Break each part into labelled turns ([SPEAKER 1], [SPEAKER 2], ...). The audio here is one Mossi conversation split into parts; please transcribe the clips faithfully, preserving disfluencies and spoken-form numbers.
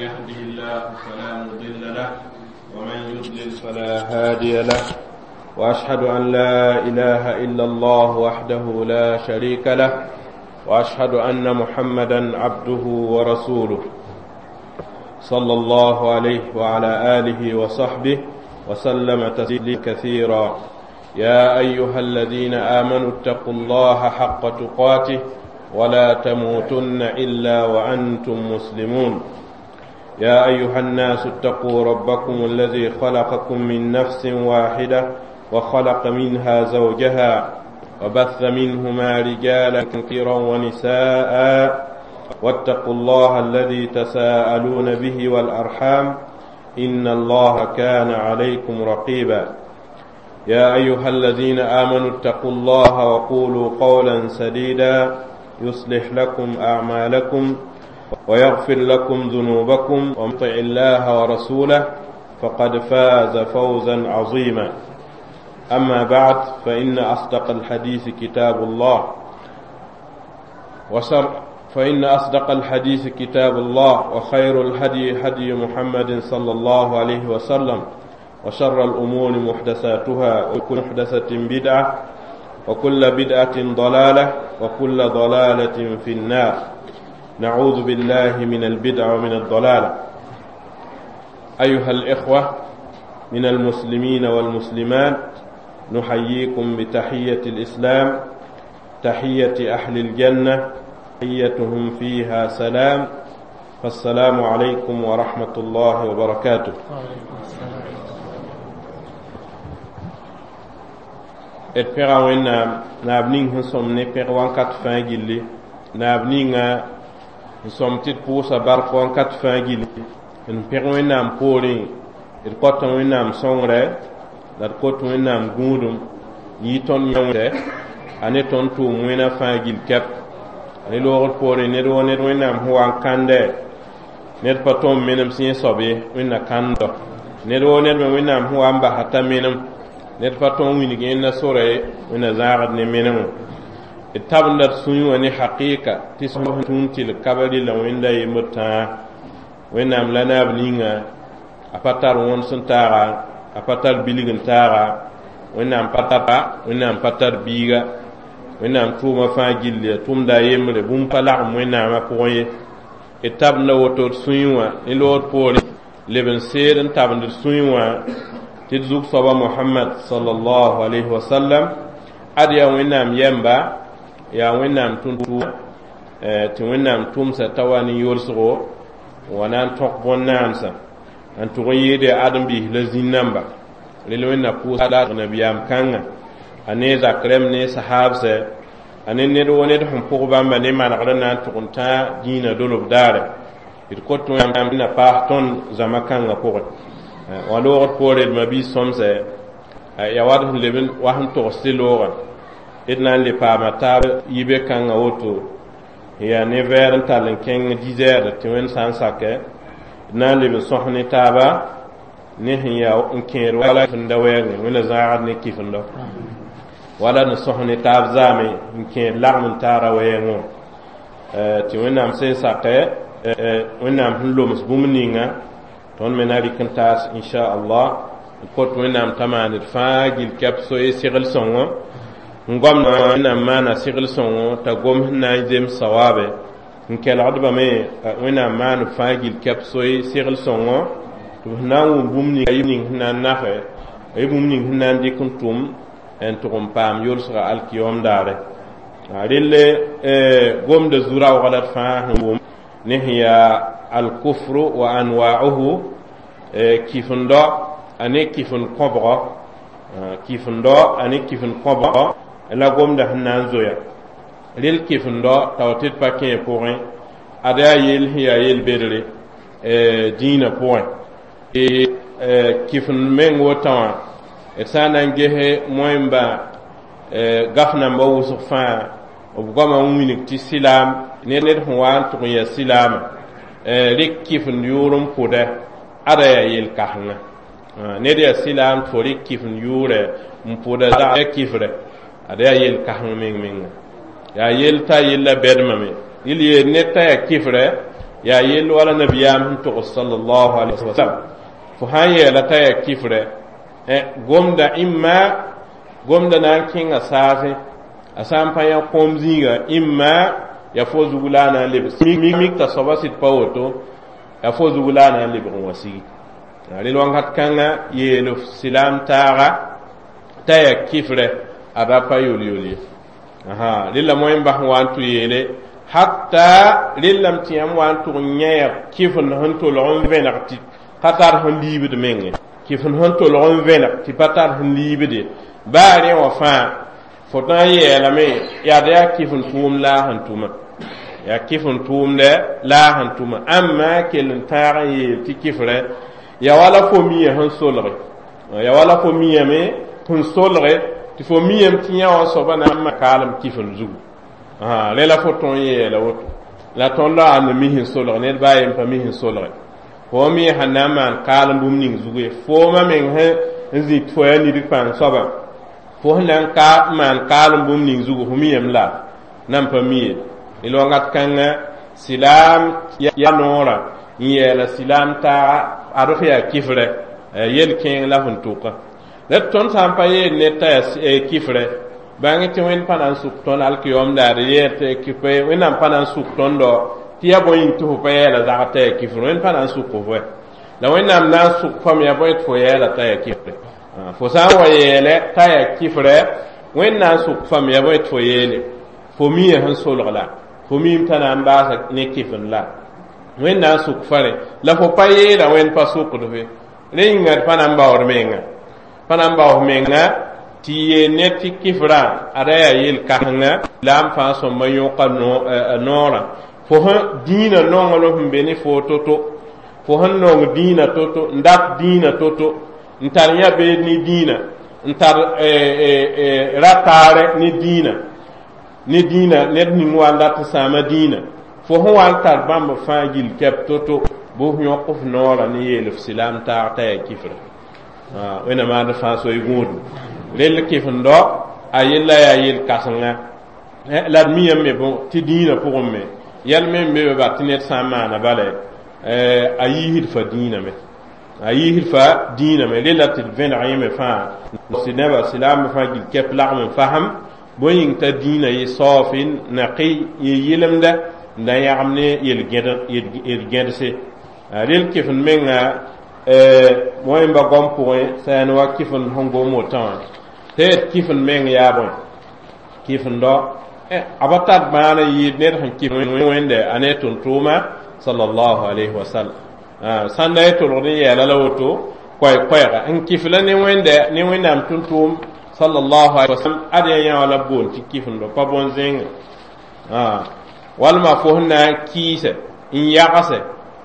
[SPEAKER 1] يهده الله فلا مضل له ومن يضلل فلا هادي له وأشهد أن لا إله إلا الله وحده لا شريك له وأشهد أن محمدا عبده ورسوله صلى الله عليه وعلى آله وصحبه وسلم تسليما كثيرا يا أيها الذين آمنوا اتقوا الله حق تقاته ولا تموتن إلا وأنتم مسلمون يا أيها الناس اتقوا ربكم الذي خلقكم من نفس واحدة وخلق منها زوجها وبث منهما رجالا كثيرا ونساء واتقوا الله الذي تساءلون به والأرحام إن الله كان عليكم رقيبا يا أيها الذين آمنوا اتقوا الله وقولوا قولا سديدا يصلح لكم أعمالكم ويغفر لكم ذنوبكم ومن يطع الله ورسوله فقد فاز فوزا عظيما أما بعد فإن أصدق الحديث كتاب الله وشر فإن أصدق الحديث كتاب الله وخير الهدي هدي محمد صلى الله عليه وسلم وشر الأمور محدثاتها وكل محدثة بدعة وكل بدعة ضلالة وكل ضلالة في النار نعوذ بالله من البدع ومن الضلالة أيها الإخوة من المسلمين والمسلمات نحييكم بتحية الإسلام تحية أهل الجنة تحيتهم فيها سلام فالسلام عليكم ورحمة الله وبركاته d pẽga wẽnnaam naab ning sẽn sõm ne pẽg wãnkat fãa gilli naab ninga n sõm tɩ d pʋʋsa bark wãnkat fãa gilli n pẽg wẽnnaam poorẽ d kõta wẽnnaam sõngrɛ la d kot wẽnnaam gũudum n yɩ tõnd yã a ne tõnd tʋʋm wẽna fãa gill kɛp a ne loogd poorẽ ned woo ned wẽnnaam sẽn wa n kãndɛ ned pa tõnd menem sẽn soab ye wẽnna kãndɔ ned woo ned me wẽnnaam sẽn wa n basa t'a menem ned pa tõnd wilg yẽnda sora ye wẽnna zãagd ne menemẽ d tabenda d sũyẽ wã ne hakɩɩka tɩ sẽn tũun tɩlg ka ba rɩla wẽnda yembr tãa wẽnnaam la naab ninga a pa tar wõnd sẽn taaga a pa tar bilg n taaga wẽnnaam pa tar wẽnnaam pa tar biiga wẽnnaam tʋʋma fãa gilli a tʋmda a yembre bũmb pa lagem wẽnnaamã pʋgẽ ye d tabenda woto d sũyẽ wã ne lood poorẽ leb n seed n tabend d sũyẽ wã tɩ d zug soaba mohamad sallallahu alayhi wa sallam ad yaa wẽnnaam yɛmba yaa wẽnnaam tũn tɩ wẽnnaam tʋmsa t'a wa ne yolsgo n wa na n tõk bõn-naandsã n tʋg n yɩɩd yaa ãdem-biis la zĩn-namba rel wẽnna pʋʋsa nabiyaam kãnga a ne zak rẽmb ne sahaabsɛ a ne ned wo ned sẽn pʋg bãmba ne manegr n na n tʋg n tã dĩinã dolob daare d kot wẽnnaam na paas tõnd zãma kãngã pʋgẽ wã loogd poore d mabiis sõmsɛ ya wat sẽn leb wa sẽn togs tɩ loogã d na n le paama taab yibe kãngã woto yaa ne vɛɛr n tall n kẽng dix heures tɩ wẽnd sã n sakɛ d na n leb n sõs ne taaba ne sẽn yaa n kẽed wala kifenda wɛɛngẽ wẽnna zãagd ne kifendo wala n sõs ne taab zaame n kẽed lagem n taara wɛɛngẽ wã tɩ wẽnnaam sẽn sakɛ wẽnnaam sẽn loms bũmb ninga tõnd me na rɩk n taas inchallah n kot wẽnnaam t'a maan d fãa gill kɛp soe segl sõngo n goamd wẽnnaam maana segl sõngo t'a gom sẽn na n zems sawaabe n kelgdbame wẽnnaam maan b fãa gill kɛp soe segl sõngo tɩ b sẽn na n wʋm bũmb ning sẽn na n nafe y bũmb ning sẽn na n dɩk n tʋm n tʋg n paam yolsga alkiyom daare relle gomda zu-raoogã la d fãa sẽn wʋm ne sẽn yaa alkufru wa anwa'uhu kifendɔ a ne kifend kõbgɔ kifendɔ a ne kifend kõbgɔ la gomda sẽn na n zoya rel kifendɔ tao tɩ d pa kẽ pʋgẽ ad yaa yell sẽn yaa yel-bedre dĩinã pʋgẽ kifend meng wotã wã d sã n na n gese moẽmba gaf nambã wʋsg fãa b goamã n wilg tɩ sɩlaam ned sẽn wa n tʋg n yaa silaamã rɩk kifend yʋʋr n pʋdɛ ada yaa yel-kãsenga ned yaa silaam tɩ fo rɩk kifend yʋʋrɛ n pʋda ya kifrɛ ad yaa yel-kãseng meng menga yaa yell t'a yella bɛdmame yel yeel ned t'a yaa kifrɛ Yaa yell wala nabiyaam sẽn togs sallallahu alaihi wasallam fo sã n yeela t'a yaa kifrɛ gomda imma gomda na n kẽnga saasẽ a sã n pa yã kõom zĩiga imma ya fo zug la a na n lebg mik t'a soaba sɩd pa woto ya fo zug la a na n lebg n wa sigi rel wakat kãngã yeel f silaam taaga t'a yaa kifrɛ a ra pa yol-yol ye rella moẽ bas n wa n tʋ yeele hatta rellame tɩ yãmb wa n tʋg n yã yaa kifend sẽn tolg n vẽneg tɩ pa tar sẽn liibd menge kifend sẽn tolg n vẽneg tɩ pa tar sẽn liibde baa rẽ wã fãa fo na n yeelame yaa d yaa kifend tʋʋmd la a sẽn tʋma yaa kifend tʋʋmdɛ la a sẽn tʋma ãmma kell n tãag n yeel tɩ kifrɛ ya wala fo mia sẽn solge ya wala fo miame sẽn solge tɩ fo miame tɩ yã wã soaba na n ma kaalem kifend zugu rẽ la fo tõe n yeela woto la tõnd la ãnd mi sẽn solg ned baa yen pa mi sẽn solge fo me sẽn na n maan kaalem bũmb ning zugu ye foomã meng sẽn n zĩt fo yaa nidg pãng soabã fo sẽn na n ka maan kaalem bũmb ning zugu fo miyame la nan pa mi ye rel wakat kãngã silaam ya noorã n yeela silaam taaga ad f yaa kifrɛ yel kẽeng la fõn tʋka la tõnd sã n pa yeel ned t'a yaa kifrɛ bãng tɩ wẽnd pa na n sʋk tõnd alkiyom daare yeel tɩ wẽnnaam pa na n sʋk tõndo tɩ yaa bõe yĩng tɩ fo pa yɛɛla zagr t'a yaa kifr wẽnd pa na n sʋk fo la wẽnnaam na n sʋk fam yaa bõe tɩ fo yɛɛla t'a yaa kifrɛ fo sã n wa yeele t'a yaa kifrɛ wẽnd na n sʋk fam yaa bõe tɩ fo yeele fo mia sẽn solg la fo miime t'a na n baasa ne kifend la wẽnd na n sʋk fa rẽ la fo pa yeela wẽnd pa sʋkd fe rẽ yĩnga d pa na n baood menga pa na n baood menga tɩ yeel ned tɩ kifrã ada yaa yel-kãsenga la n fãa sõmba yõka noorã fo sẽn dĩinã nonglem sẽn be ne fo to-to fo sẽn nong dĩinã to-to n dat dĩinã to-to n tar yã beed ne dĩinã n tar rataarɛ ne dĩinã ne dĩinã ned ning wa n dat n sãama dĩinã fo sẽn wa n tar bãmb fãa gill kɛp to-to bɩ f yõk f noorã ne yeel f silaam taag t'a yaa kifra wẽnnaam maand fãa soy gũudum rell kifendo a yella yaa yel-kãsenga la d miyame me bõ tɩ dĩinã pʋgẽ me yɛl me n be be ba tɩ ned sã n maana bala a yiisd fa dĩinã me a yiisd fa dĩinã me rella tɩ d vẽneg yẽ me fãa nebã silaambã fãa gill kɛp lagm n fasem bõe yĩng t'a dĩinã yɩ saoofɩ naqi yɩ yɩlemda n da yãgem ne yel-gẽdse rel kifend menga wẽmba goam pʋgẽ sã wa kifend sẽn gom wotã wã tɩ d kifend meng yaa bõe kifendo a pa tar bãan n yɩɩd ned sẽn kif wẽnde a ne tʋm-tʋʋma sallallahu alayhi wa sallam sãn da ye tolgd n yɛɛla la woto koɛɛ-koɛɛga n kif la ne wẽnde ne wẽnnaam tʋm-tʋʋm sallallahu alayhi wa sallam ad yaa yã wã la b boond tɩ kifendo pa bõn-zẽnga walma fo sẽn na n kɩɩsɛ n yagse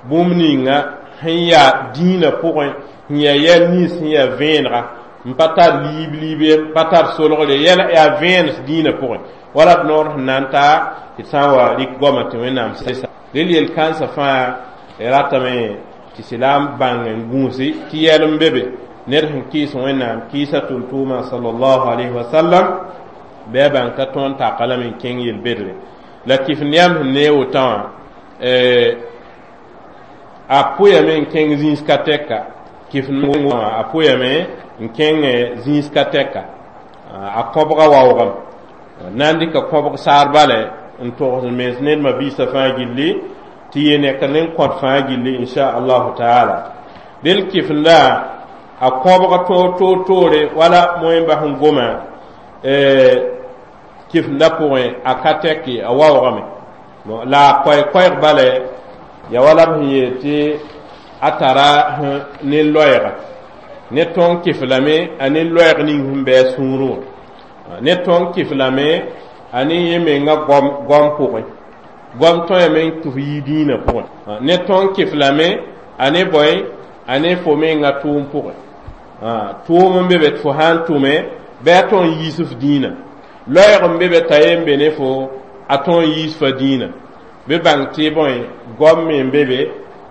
[SPEAKER 1] bũmb ninga sẽn yaa dĩinã pʋgẽ sẽn yaa yɛl nins sẽn yaa vẽenega n pa tar liib liib ye n pa tar solgre yɛl yaa vẽenes dĩinã pʋgẽ wala d noor sẽn na n taa tɩ d sã n wa rɩk goamã tɩ wẽnnaam sesa rel yel-kãensã fãa ratame tɩ silaam bãng n gũusi tɩ yɛl n be be ned sẽn kɩɩs wẽnnaam kɩɩsa tʋm-tʋʋmã sallallahu alayhi wa sallam bɩ a bãng t'a tõe n taka lame n kẽng yel-bedre la kifend yãmb sẽn nee wotã wã a pʋyame n kẽng zĩis ka tɛka kifend wã a pʋyame n kẽng zĩis ka tɛka a kõbga waoogame na n dɩka kõbg saar bale n togs mens ned mabiisã fãa gilli tɩ yɩ neka ne n kõt fãa gilli inchallahu taala del kifenda a kõbg toor toor toore wala moẽmba sẽn goma kifenda pʋgẽ a ka tɛke a waoogame la a koɛɛ-koɛɛg bale ya wala b sẽn yeel tɩ a tara ne loɛɛga ne tõng kif lame a ne loɛɛg ning sẽn bɩ a sũurẽ wã ne tõng kif lame a ne yẽ menga goam goam pʋgẽ goam tõeme n tʋf yi dĩinã pʋgẽ ne tõng kif lame a ne bõe a ne fo menga tʋʋm pʋgẽ tʋʋm n be be tɩ fo sã n tʋme bɩ a tõe n yiis f dĩinã loɛɛg n be be t'a yen be ne fo a tõe n yiis fa dĩinã bɩ bãng tɩ bõe goam me n be be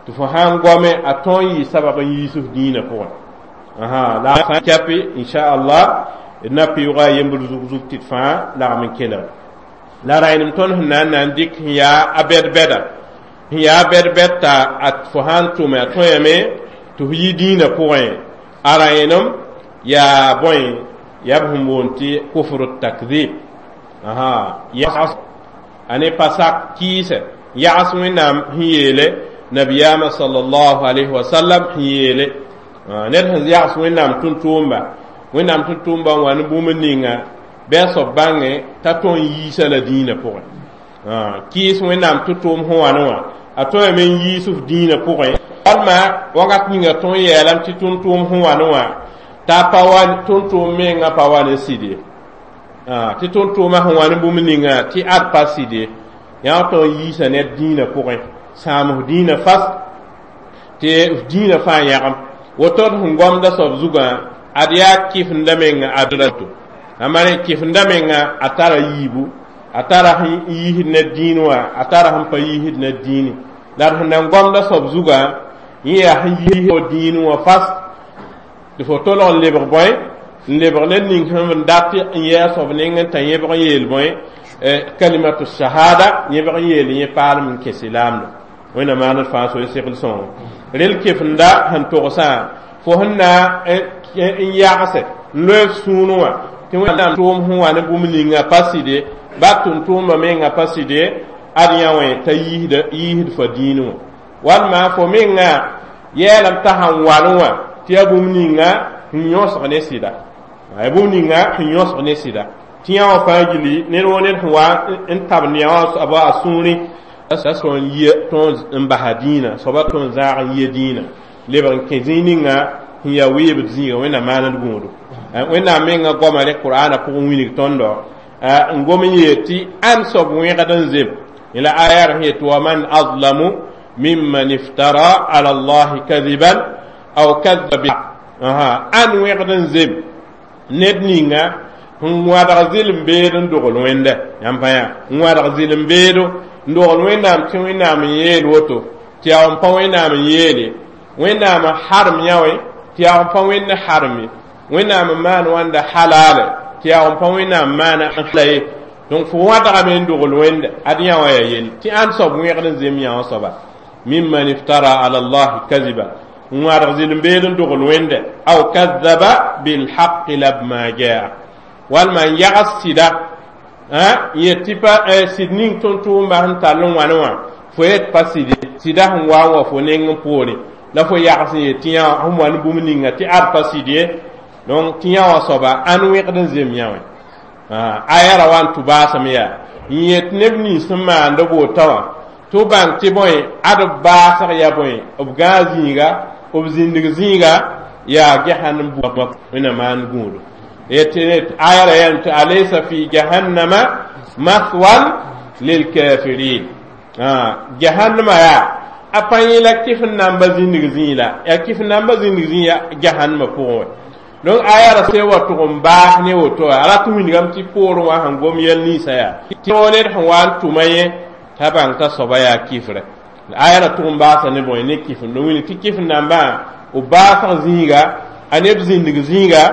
[SPEAKER 1] tɩ fo sã n goame a tõe n yɩ sabab n yiis f dĩinã pʋgẽ la a kɛpe inchallah d na pɩʋʋga yembr zug zug tɩ d fãa lagm n kelg la rãenem tõnd sẽn na n na n dɩk sẽn yaa a bɛd-bɛda Sẽn yaa bɛd-bɛd t'a fo sã n tʋme a tõeme tɩ f yi dĩinã pʋgẽ a rãenem yaa bõe yaa b sẽn boond tɩ kufr takdib a ne pa sak kɩɩsɛ yags Wẽnnaam sẽn yeele nabiyaamã sallallahu alayhi wa sallam sẽn yeele ned sẽn yags Wẽnnaam tʋm-tʋʋmba Wẽnnaam tʋm-tʋʋmba n wa ne bũmb ninga bɩ a soab bãnge t'a tõe n yiisa la dĩinã pʋgẽ kɩɩs Wẽnnaam tʋ-tʋʋm sẽn wa ne wã a tõeme n yiis f dĩinã pʋgẽ walma wakat ninga tõe n yeelame tɩ tʋm-tʋʋm sẽn wa ne wã t'a pa wa tʋm-tʋʋm mengã pa wa ne sɩd ye tɩ tʋm-tʋʋmã sẽn wa ne bũmb ninga tɩ ad pa sɩd ye yã tõe n yiisa ned dĩinã pʋgẽ sãam f dĩinã fas tɩ f dĩinã fãa yãgem woto d sẽn gomda soab zugã ad yaa kɩfenda menga adrato amare kɩfenda menga a tara yiibu a tara sẽn yiisd ned dĩin wã a tara sẽn pa yiisd ned dĩini la d sẽn nan gomda soab zugã yẽ yaa sẽn yiis dĩin wã fas tɩ fo tolg n lebg bõe n lebg ned ning sẽn n dat n yɛɛ a soab neng n tã yẽbg n yeel bõe kalimatu shahada yẽbg n yeel yẽ paalem n kẽ silaamdo Wẽnnaam maaned fãa so segl sõngo rel kefenda sẽn togsã fo sẽn na n yagse n loe f sũur wã tɩ Wẽnnaam tʋʋm sẽn wa ne bũmb ninga pa sɩd ye ba tʋm-tʋʋmba menga pa sɩd ye ad yã wẽ t'a yiisd fo dĩin wã walma fo menga yɛɛlame t'a sãn walẽ wã tɩ yaa bũmb ninga sẽn yõsg ne sɩda yaa bũmb ninga sẽn yõsg ne sɩda tɩ yã wã fãa gilli ned woo ned sẽn wa n tabend yã wã soaba a sũurẽ a tõe n yie tõe n basa dĩinã soaba tõe n zãag n yie dĩinã lebg n kẽ zĩig ninga sẽn yaa weebd zĩiga Wẽnnaam maand gũudu Wẽnnaam menga goama ne Qur'ana pʋgẽ wilg tõndo n gom n yeel tɩ ãn soab wẽgd n zem la aya sẽn yet wa man azlamu mimman iftara ala allahi kadiban aw kadaba bi ãn wẽgd n zem ned ninga n wãdg zɩlem beed n dogl Wẽnda yãmb pa yã n wãdg zɩlem beedo n dogl Wẽnnaam tɩ Wẽnnaam n yeel woto tɩ yaa n pa Wẽnnaam n yeele Wẽnnaam n harem yã wẽ tɩ yaa n pa Wẽnd harem ye Wẽnnaam n maan wãnda halaale tɩ yaa n pa Wẽnnaam maana n la ye donc fo wãdgame n dogl Wẽnda ad yã wã yaa yell tɩ ãnd soab wẽgd n zem yã wã soaba mimman iftara ala allahi kaziba n wãdg zɩlem beed n dogl Wẽnda aw kadaba bilhaqi lamma jaa walma n yags sɩda yet tɩ pa sɩd ning tʋm-tʋʋmba sẽn tall n wãne wã fo yet pa sɩd ye sɩda sẽn wa n wa fo neng n poorẽ la fo yags n yet tɩ yã sẽn wa ne bũmb ninga tɩ ad pa sɩd ye donc tɩ yã wã soaba ãn wẽgd n zem yã wã aya ra wa n tʋ baasem yaa n yet neb nins sẽn maand b wota wã tɩ b bãng tɩ bõe ad b baasg yaa bõe b gãag zĩiga b zĩndg zĩiga yaa jahannam Wẽnnaam maan gũudu aya ra yãmb tɩ alaysa fi jahannama mathwan lilkafirin jahannama yaa a pa yẽ la kɩf n namba zĩndg zĩig la yaa kɩf n namba zĩndg zĩig ya jahannama pʋgẽ wã donc aya ra se wa tʋg n baas ne woto a rat n wilgame tɩ poorẽ wã sẽn gom yɛl ninsã yaa tɩ ned sẽn wa n tʋma yẽ t'a bãng t'a soaba yaa kifrɛ aya ra tʋg n baasa ne bõe ne kifr no wilg tɩ kifr nambã b baasg zĩiga a neb zĩndg zĩiga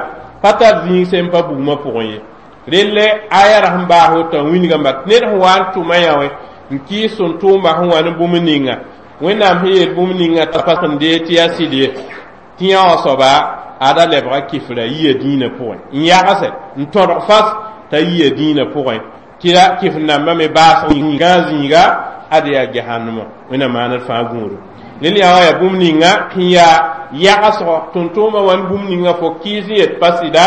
[SPEAKER 1] pa tar zĩig sẽn pa bugmã pʋgẽ ye relle aya ra sẽn baas woto n wilgame ned sẽn wa n tʋma yã wẽ n kɩɩs sẽn tʋʋmba sẽn wa ne bũmb ninga Wẽnnaam sẽn yeel bũmb ninga t'a pa sẽn dee tɩ yaa sɩd ye tɩ yã wã soaba ada lebga kifra yia dĩinã pʋgẽ n yagse n tõdg fas t'a yia dĩinã pʋgẽ tɩ la kifr nambã me baas gã zĩiga ad yaa jahannama Wẽnnaam maaned fãa gũudu rel yã wã yaa bũmb ninga sẽn yaa yagsgo tʋm-tʋʋmã wa ne bũmb ninga fo kɩɩs n yet pa sɩda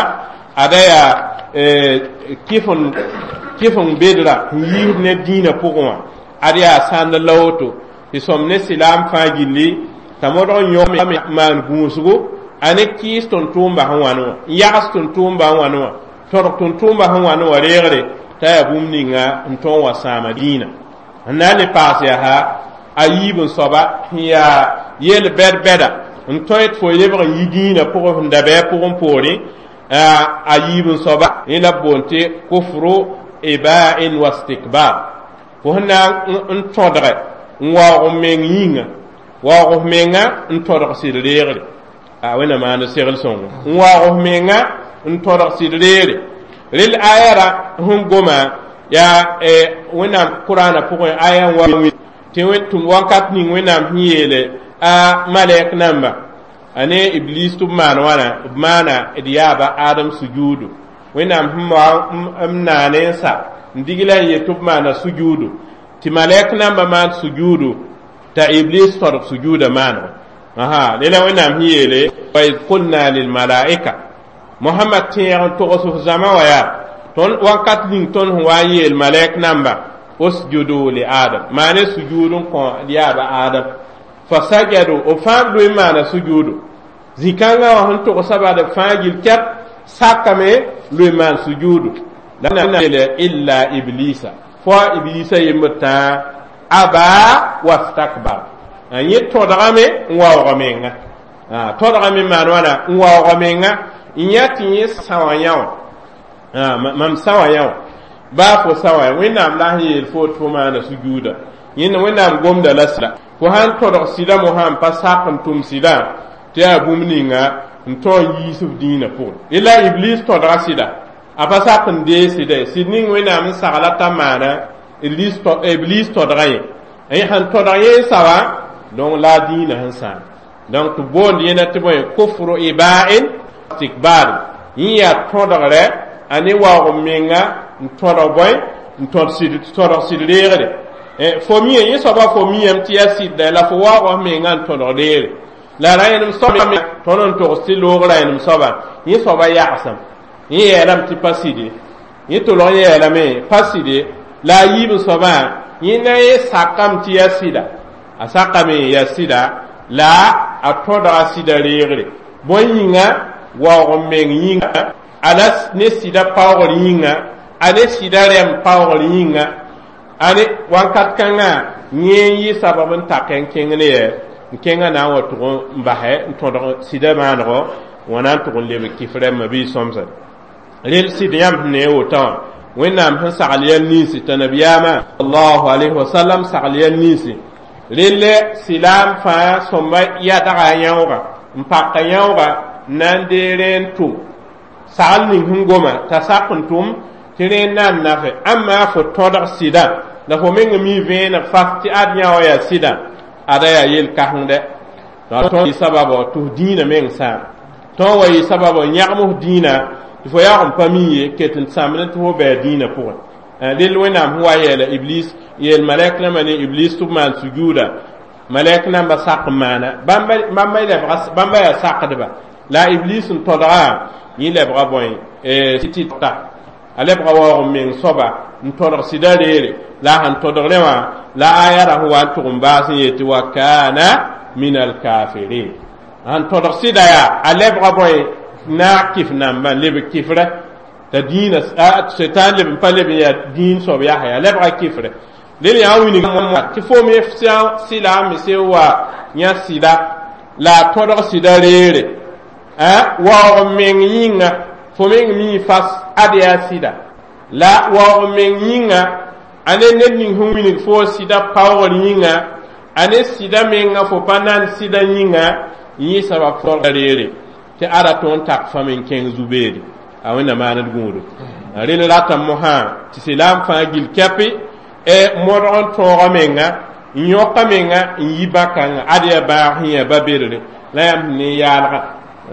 [SPEAKER 1] ada yaa kɩf n bedra n yiisd ne dĩinã pʋgẽ wã ad yaa sãnd la woto tɩ sõm ne silaam fãa gilli t'a modg n yõ maan gũusgo a ne kɩɩs tʋm-tʋʋmba sẽn wa ne wã n yags tʋm-tʋʋmba sẽn wa ne wã tõdg tʋm-tʋʋmba sẽn wa ne wã reegre t'a yaa bũmb ninga n tõe n wa sãama dĩinã n na n le paas yaa a yiib n soaba sẽn yaa yel bɛd-bɛda n tõe tɩ fo lebg n yi dĩinã pʋgẽ sẽn da bɩ a pʋgẽ poorẽ a yiib n soaba yẽ la b boond tɩ kufru iba'in wa istikbar fo sẽn na n tõdge n waoog meng yĩnga waoog f menga n tõdg sɩd reegre a Wẽnnaam maand segl sõngo n waoog f menga n tõdg sɩd reere rel aya ra sẽn goma yaa Wẽnnaam Qur'ana pʋgẽ aya n wa Tɩ tʋm wakat ning Wẽnnaam sẽn yeele a malɛk namba a ne Iblis tɩ b maan wãna, b maana d yaaba Adam sujuudu. Wẽnnaam sẽn wa n naane n sa n dig la n yet tɩ b maana sujuudu, tɩ malɛk namba maan sujuudu t'a Iblis tõdg sujuuda maanego. Aha, lela Wẽnnaam sẽn yeele wa id qulna lilmalaika. Mohamad, tẽeg n togs f zãma wã yaa tõnd wakat ning tõnd sẽn wa n yeel malɛk namba: usjudu li Adam, maane sujuud n kõ d yaaba Adam. Fasajadu, b fãa b loe n maana sujuudu. Zĩ-kãngã wã sẽn togsa bad, b fãa gill kɛp sakame loe n maan sujuudu la yeele illa Iblisa, fo Iblisa yembr tãa, aba wastakbar, a yẽ tõdgame n waoog menga, tõdgame maan wãna n waoog menga n yã tɩ yẽ sã wã yã wã, mam sã wã yã wã baa fo sã wã. Wẽnnaam la sẽn yeel fo tɩ fo maana sujuuda, yẽnd Wẽnnaam gomda la sɩda. Fo sãn tõdg sɩda mo, sãn pa sak n tʋm sɩdã, tɩ yaa bũmb ninga n tõe n yiis f dĩinã pʋgẽ. La Iblis tõdga sɩda, a pa sak n dee sɩda ye. Sɩd ning Wẽnnaam n sagla t'a maana, Iblis tõdga yẽ, yẽ sẽn tõdg yẽ n sa wã, donc la a dĩinã sẽn sãam. Donc tɩ boond yẽna tɩ bõe? Kufru iba'in istikbar. Yẽ yaa tõdgrɛ a ne waoog menga n tõdg bõe? N tõd tõdg sɩd reegre. Fo mia yẽ soaba, fo miame tɩ yaa sɩdda, la fo waoog f menga n tõdg reegre. La rãenem soaba tõnd n togs tɩ loog rãenem soaba, yẽ soaba yagsam, yẽ yeelame tɩ pa sɩde, yẽ tolg n yeelame pa sɩde. La a yiib n soabã, yẽ na n sakame tɩ yaa sɩda, a sakame yaa sɩda, la a tõdga sɩda reegre. Bõe yĩnga? Waoog n meng yĩnga, ala ne sɩda paoogr yĩnga, a ne sɩda rɛm paoogr yĩnga, a ne wakat kãngã yẽ n yɩ sabab n tak n kẽng ne yɛ n kẽngã na n wa tʋg n basɛ n tõdg sɩda maanego wã na n tʋg n lebg kɩf rɛmbã bɩ sõmsa. Rel sɩd yãmb sẽn ne wotã wã, Wẽnnaam sẽn sagl yɛl ninsi t'a nabiyaamã sallallahu alayhi wa sallam sagl yɛl ninsi. Relle silaam fãa sõmba yadga a yãooga n pak a yãooga n na n dee rẽ n tʋm sagl ning sẽn goma t'a sak n tʋm tɩ rẽ n na n nafe. Ãmma fo tõdg sɩdã la fo meng mi vẽeneg fas tɩ ad yã wã yaa sɩdã, ada yaa yel-kãsengdɛ. Tõnd yɩ sababɔ tɩ f dĩinã meng sãam, tõnd wa yɩ sababɔ n yãgem f dĩinã tɩ fo yaoog n pa mi ye ket n sãmd tɩ fo bɩ dĩinã pʋgẽ. Rel Wẽnnaam sẽn wa yeela Iblis, yeel malɛk nambã ne Iblis tɩ b maan sujuuda, malɛk nambã sak n maana, bãmba yaa sakdba, la Iblis n tõdga yẽ lebga bõe? Tɩta a lebga waoog n meng soaba n tõdg sɩda reere. La a sẽn tõdg rẽ wã, la aya ra sẽn wa n tʋg n baas n yetɩ wa kana min alkafirin. Sẽn tõdg sɩda yaa a lebga bõe? Naag kɩf nambã lebg kɩfrɛ t'a dĩinã setan leb n pa leb n yaa dĩin soab yaa yaa lebga kɩfrɛ. Rel yaa wilg tɩ fo me sɩla me se wa yã sɩda la a tõdg sɩda reere waoog meng yĩnga, fo meng mi fas ad yaa sɩda, la waoog meng yĩnga a ne ned ning sẽn wilg fo sɩda paoogr yĩnga, a ne sɩda menga fo pa nan sɩda yĩnga, yẽ sabab tõdga reere tɩ ada tõnd tak fãm n kẽng zu-beede a Wẽnna maand gũudu. Rel ratame mosã tɩ silaam fãa gill kɛpɩ modg n tõoga menga n yõka menga n yi bã-kãngã ad yaa bãag sẽn yaa ba-bedre la yãmb sẽn ne yaalga.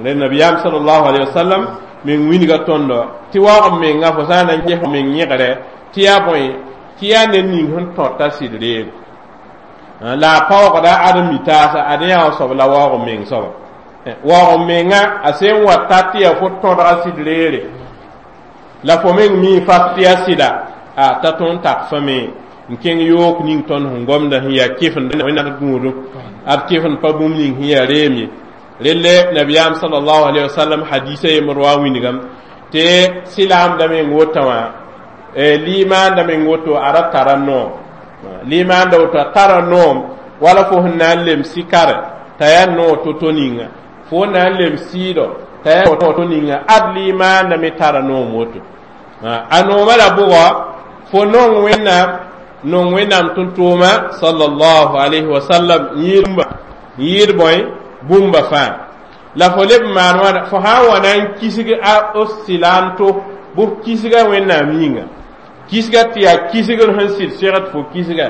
[SPEAKER 1] Rel nabiyaam sallallahu alaihi wasallam meng wilga tõndo tɩ waoog menga fo sã n na n ges meng yẽgre tɩ yaa bõe? Tɩ yaa ned ning sẽn tõta sɩd reere la a paoogda ad n mi taasa ad yã wã soab la waoog meng soaba. Waoog menga a sẽn wa ta tɩ yaa fo tõdga sɩd reere la fo meng mi fas tɩ yaa sɩda, a t'a tõnd tak fame n kẽng yook ning tõnd sẽn gomda sẽn yaa kɩfend Wẽnnaam gũudum ad kɩfend pa bũmb ning sẽn yaa reem ye. Relle nabiyaam sallallahu alaihi wasallam hadisa yembr wa wilgame tɩ sɩlaamda meng wotã wã, limaanda meng woto a ra tara noom, limaanda woto a tara noom wala fo sẽn na n lem sɩkare t'a yaa noog to-to ninga, fo na n lem sɩɩdɔ t'a yaa to-to ninga, ad limaanda me tara noom woto. A noomã la bʋgɔ fo nong Wẽnnaam, nong Wẽnnaam tʋm-tʋʋma sallallahu alayhi wa sallam, yɩɩd yɩɩd bõe bũmba fãa la fo leb n maan wãna. Fo sã n wa na n kisg a silaam to bʋ kisga Wẽnnaam yĩnga, kisga tɩ yaa kisgr sẽn sɩd segd fo kisga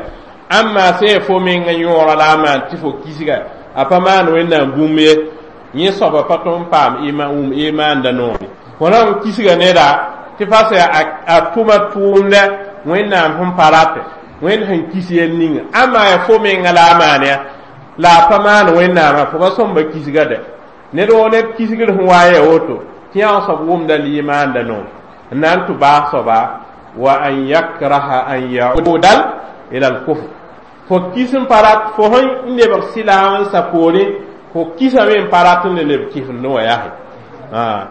[SPEAKER 1] Ãmma sẽn yaa fo meng n yõora la a maan tɩ fo kisga a pa maan Wẽnnaam bũmb ye. Yẽ soaba pa tõe n paam wʋm imaanda noor. Fo na n kisga neda tɩ fa sã a tʋma tʋʋmdɛ Wẽnnaam sẽn pa ratɛ, Wẽnd sẽn kis yell ninga, ãmma yaa fo menga la a maan ya la a pa maan Wẽnnaamã, fo pa sõmba kisga dɛ. Ned woo ned kisgr sẽn wa n yaa woto tɩ yã soab wʋmda limaanda noor n na n tʋ baas soaba wa an yakraha an yaudal ila al-kufr. Fo kis n pa rat fo sẽn lebg sɩlaam n sa poorẽ, fo kisame n pa rat n le leb kifend wã yaa.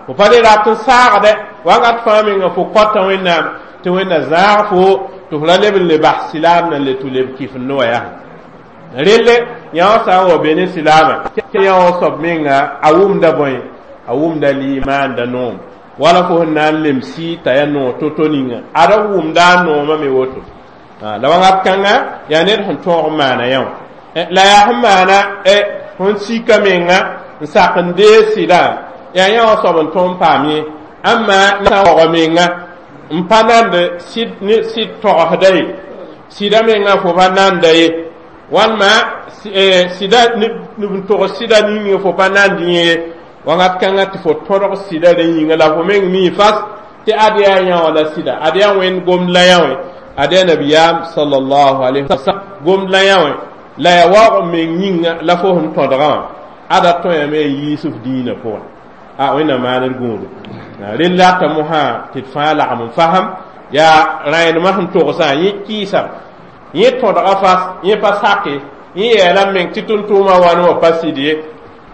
[SPEAKER 1] Fo pa le rat n saagdɛ wakat fãa menga fo kõta Wẽnnaam tɩ Wẽnna zãag fo tɩ fo ra leb n le bas sɩlaam na n le tʋ leb kifend wã yaa. Relle yã wã sã n wa be ne sɩlaamã, yã wã soab menga a wʋmda bõe, a wʋmda limaanda noom wala fo sẽn na n lem sɩ t'a yaa noog to-to ninga ada wʋmda a noomã me woto. La wakat kãnga yaa ned sẽn tõog n maana yã wã la yaa sẽn maana sẽn sika menga n sak n deeg sɩdã yaa yã wã soab n tõe n paam ye. Ãmma sã waoog menga n pa nand sɩd togsda ye, sɩda menga fo pa nanda ye, walma sɩda n togs sɩda ning fo pa nand yẽ, wakat kãngã tɩ fo tõdg sɩda rẽ yĩnga la fo meng mii fas tɩ ad yaa yã wã la sɩda, ad yaa Wẽnd gomd la yã wẽ, ad yaa nabiyaam sallallahu alaihi wasallam gomd la yã wẽ, la yaa waoog meng yĩnga la fo sẽn tõdgã wã ada tõe me n yiis f dĩinã pʋgẽ. A Wẽnnaam maand gũudu rel rata mosã tɩ d fãa lagm n fasem yaa rãenemã sẽn togsã yẽ kɩɩsam yẽ tõdga fas yẽ pa sake yẽ yeela meng tɩ tʋm-tʋʋmã wãn wã pa sɩd ye,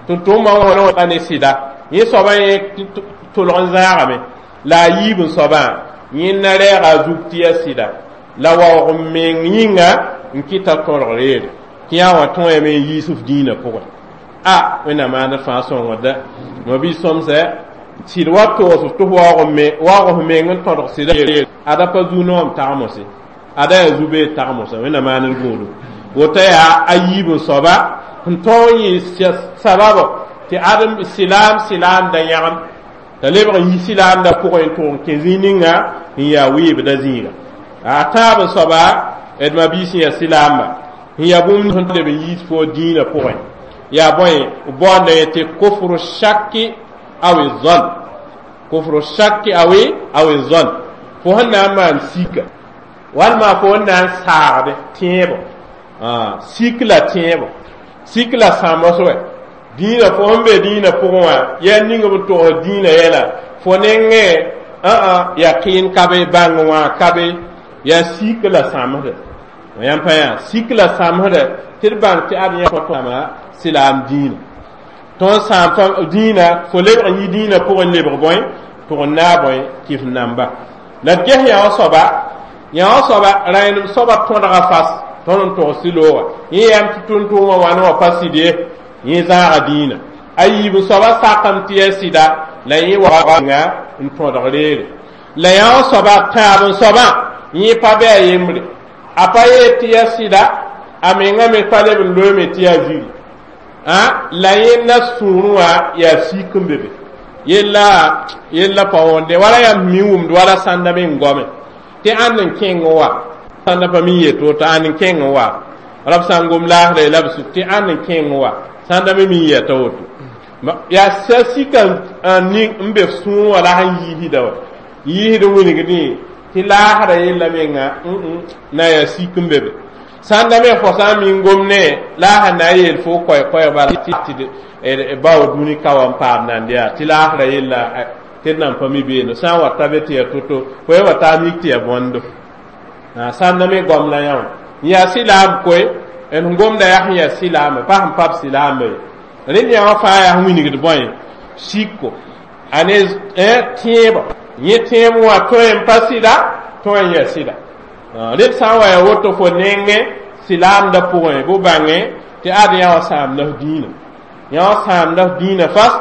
[SPEAKER 1] tʋm-tʋʋmã wãn wã ne sɩda yẽ soabã yẽ tʋlg n zãagame la a yiib n soabã yẽnda rɛɛga a zug tɩ yaa sɩda la waoog n meng yĩnga n kɩta tõdg reere tɩ yã wã tõeme n yiis f dĩinã pʋgẽ. A Wẽnnaam maand fãa sõngda ma-bi sõmsɛ sɩd wa toos f tɩ f waoog f meng n tõdg sɩda ada pa zu-noom tagmose, ada yaa zu-beed tagmosã. Wẽnnaam maand gũudu woto yaa a yiib n soaba sẽn tõog n yɩ sababo tɩ adem sɩlaam sɩlaamda yãgem t'a lebg n yi sɩlaamda pʋgẽ n tʋg n kẽ zĩig ninga n yaa wɩɩbda zĩiga. A tãab n soaba d ma-biis n yaa sɩlaamba n yaa bũmb sẽn leb n yiis fo dĩinã pʋgẽ yaa bõe baoonda yẽ tɩ kofr shaki aw zon, kofr shaki aw aw zon, fo sẽn na n maan sika walma fo sẽn na n saagde tẽebo, sik la tẽebo, sik la sãmbs wɛ dĩinã fo sẽn be dĩinã pʋgẽ wã yaa ning b togs dĩinã yɛla fo nengẽ ã yaqɩn ka be bãng wã ka be yaa sik la sãmsdɛ yãmb pa yã sik la sãmsdɛ tɩ d bãng tɩ ad yã tõtama sɩlaam dĩinã tõnd sãam dĩinã fo lebg n yi dĩinã pʋgẽ lebg bõe tʋg n naag bõe kɩf namba la d ges yã wã soaba yã wã soaba rãenem soaba tõdga fas tõnd n togs sɩ-loogã yẽ yam tɩ tʋm-tʋʋmã wãn wã pa sɩd ye yẽ zãaga dĩinã a yiib n soaba sakame tɩ yaa sɩda la yẽ waoonga n tõdg reere la yã wã soaba tãab n soabã yẽ pa bɩ a yembre a pa yeel tɩ yaa sɩda a menga me pa leb n loeme tɩ yaa ziri la yẽnda sũurẽ wã yaa sik n be be yella yella pa wõnde wala yãmb mi wʋmd wala sãnda me n goame tɩ ãnd n kẽng wa sãnda pa mi yet woto ãnd n kẽng wa rab sã n gom laasra la b sʋk tɩ ãnd n kẽng wa sãnda me mi yɛta woto yaa sa sika n be sũur wã la sẽn yiisda wa yiisd wilgdẽ tɩ laasra yella menga na yaa sik n be be sãnda me fo sã n min gom ne la a sẽn na n yeel fo koɛɛ-koɛɛg bala tɩ bao dũni ka wa n paam nand yaa tɩ laasra yella tɩ d nan pa mi beene sã n wa ta be tɩ yaa to-to fo ya wa taa mik tɩ yaa bõndo sãnda me goam la yã wã n yaa sɩlaam koe n gomda yaa sẽn yaa sɩlaame pa sẽn pab sɩlaame ye rẽnd yã wã fãa yaa sẽn wilgd bõe siko a ne tẽebã yẽ tẽeb wã tõe n pa sɩda tõe n yaa sɩda rẽd sã n wa yaa woto fo nengẽ sɩlaamda pʋgẽ bʋ bãngẽ tɩ ad yã wã sãamda f dĩinã yã wã sãamda f dĩinã fas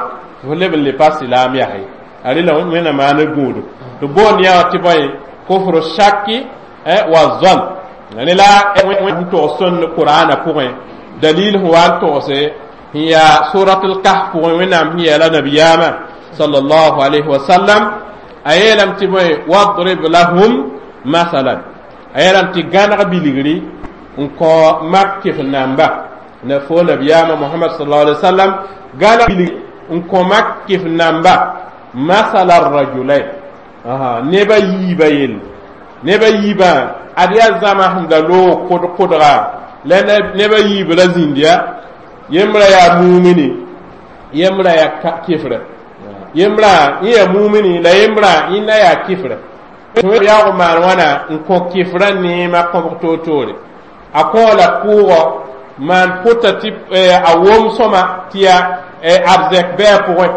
[SPEAKER 1] fo leb n le pa sɩlaam yaa ye a rela Wẽnnaam maand gũudu tɩ boond yã wã tɩ bõe kofr shaki wa zon ne la n togs sõnd Qur'ana pʋgẽ dalil sẽn wa n togse n yaa surat al-kahf pʋgẽ Wẽnnaam sẽn yeela nabiyaamã sallallahu alayhi wa sallam a yeelame tɩ bõe wadrib lahum masalan a yeelame tɩ gãneg bilgri N kõ mak kɩf namba na fo nabiyaamã Mohamad sallallahu alaihi wasallam gãna n kõ mak kɩf namba masala rajulain neba yiibã yell neba yiibã ad yaa zãma sẽn da loog kʋd-kʋdga la neba yiib ra zĩnd ya yembrã yaa mumini yembrã yaa kɩfrɛ yembrã yẽ yaa mumini la yembrã yẽnda yaa kɩfrɛ yaoog maan wãna n kõ kɩfrã neemã kõbg toor-toore a kõ la kʋʋgɔ maan pʋta tɩ a wom sõma tɩ yaa arzɛk bɩ a pʋgẽ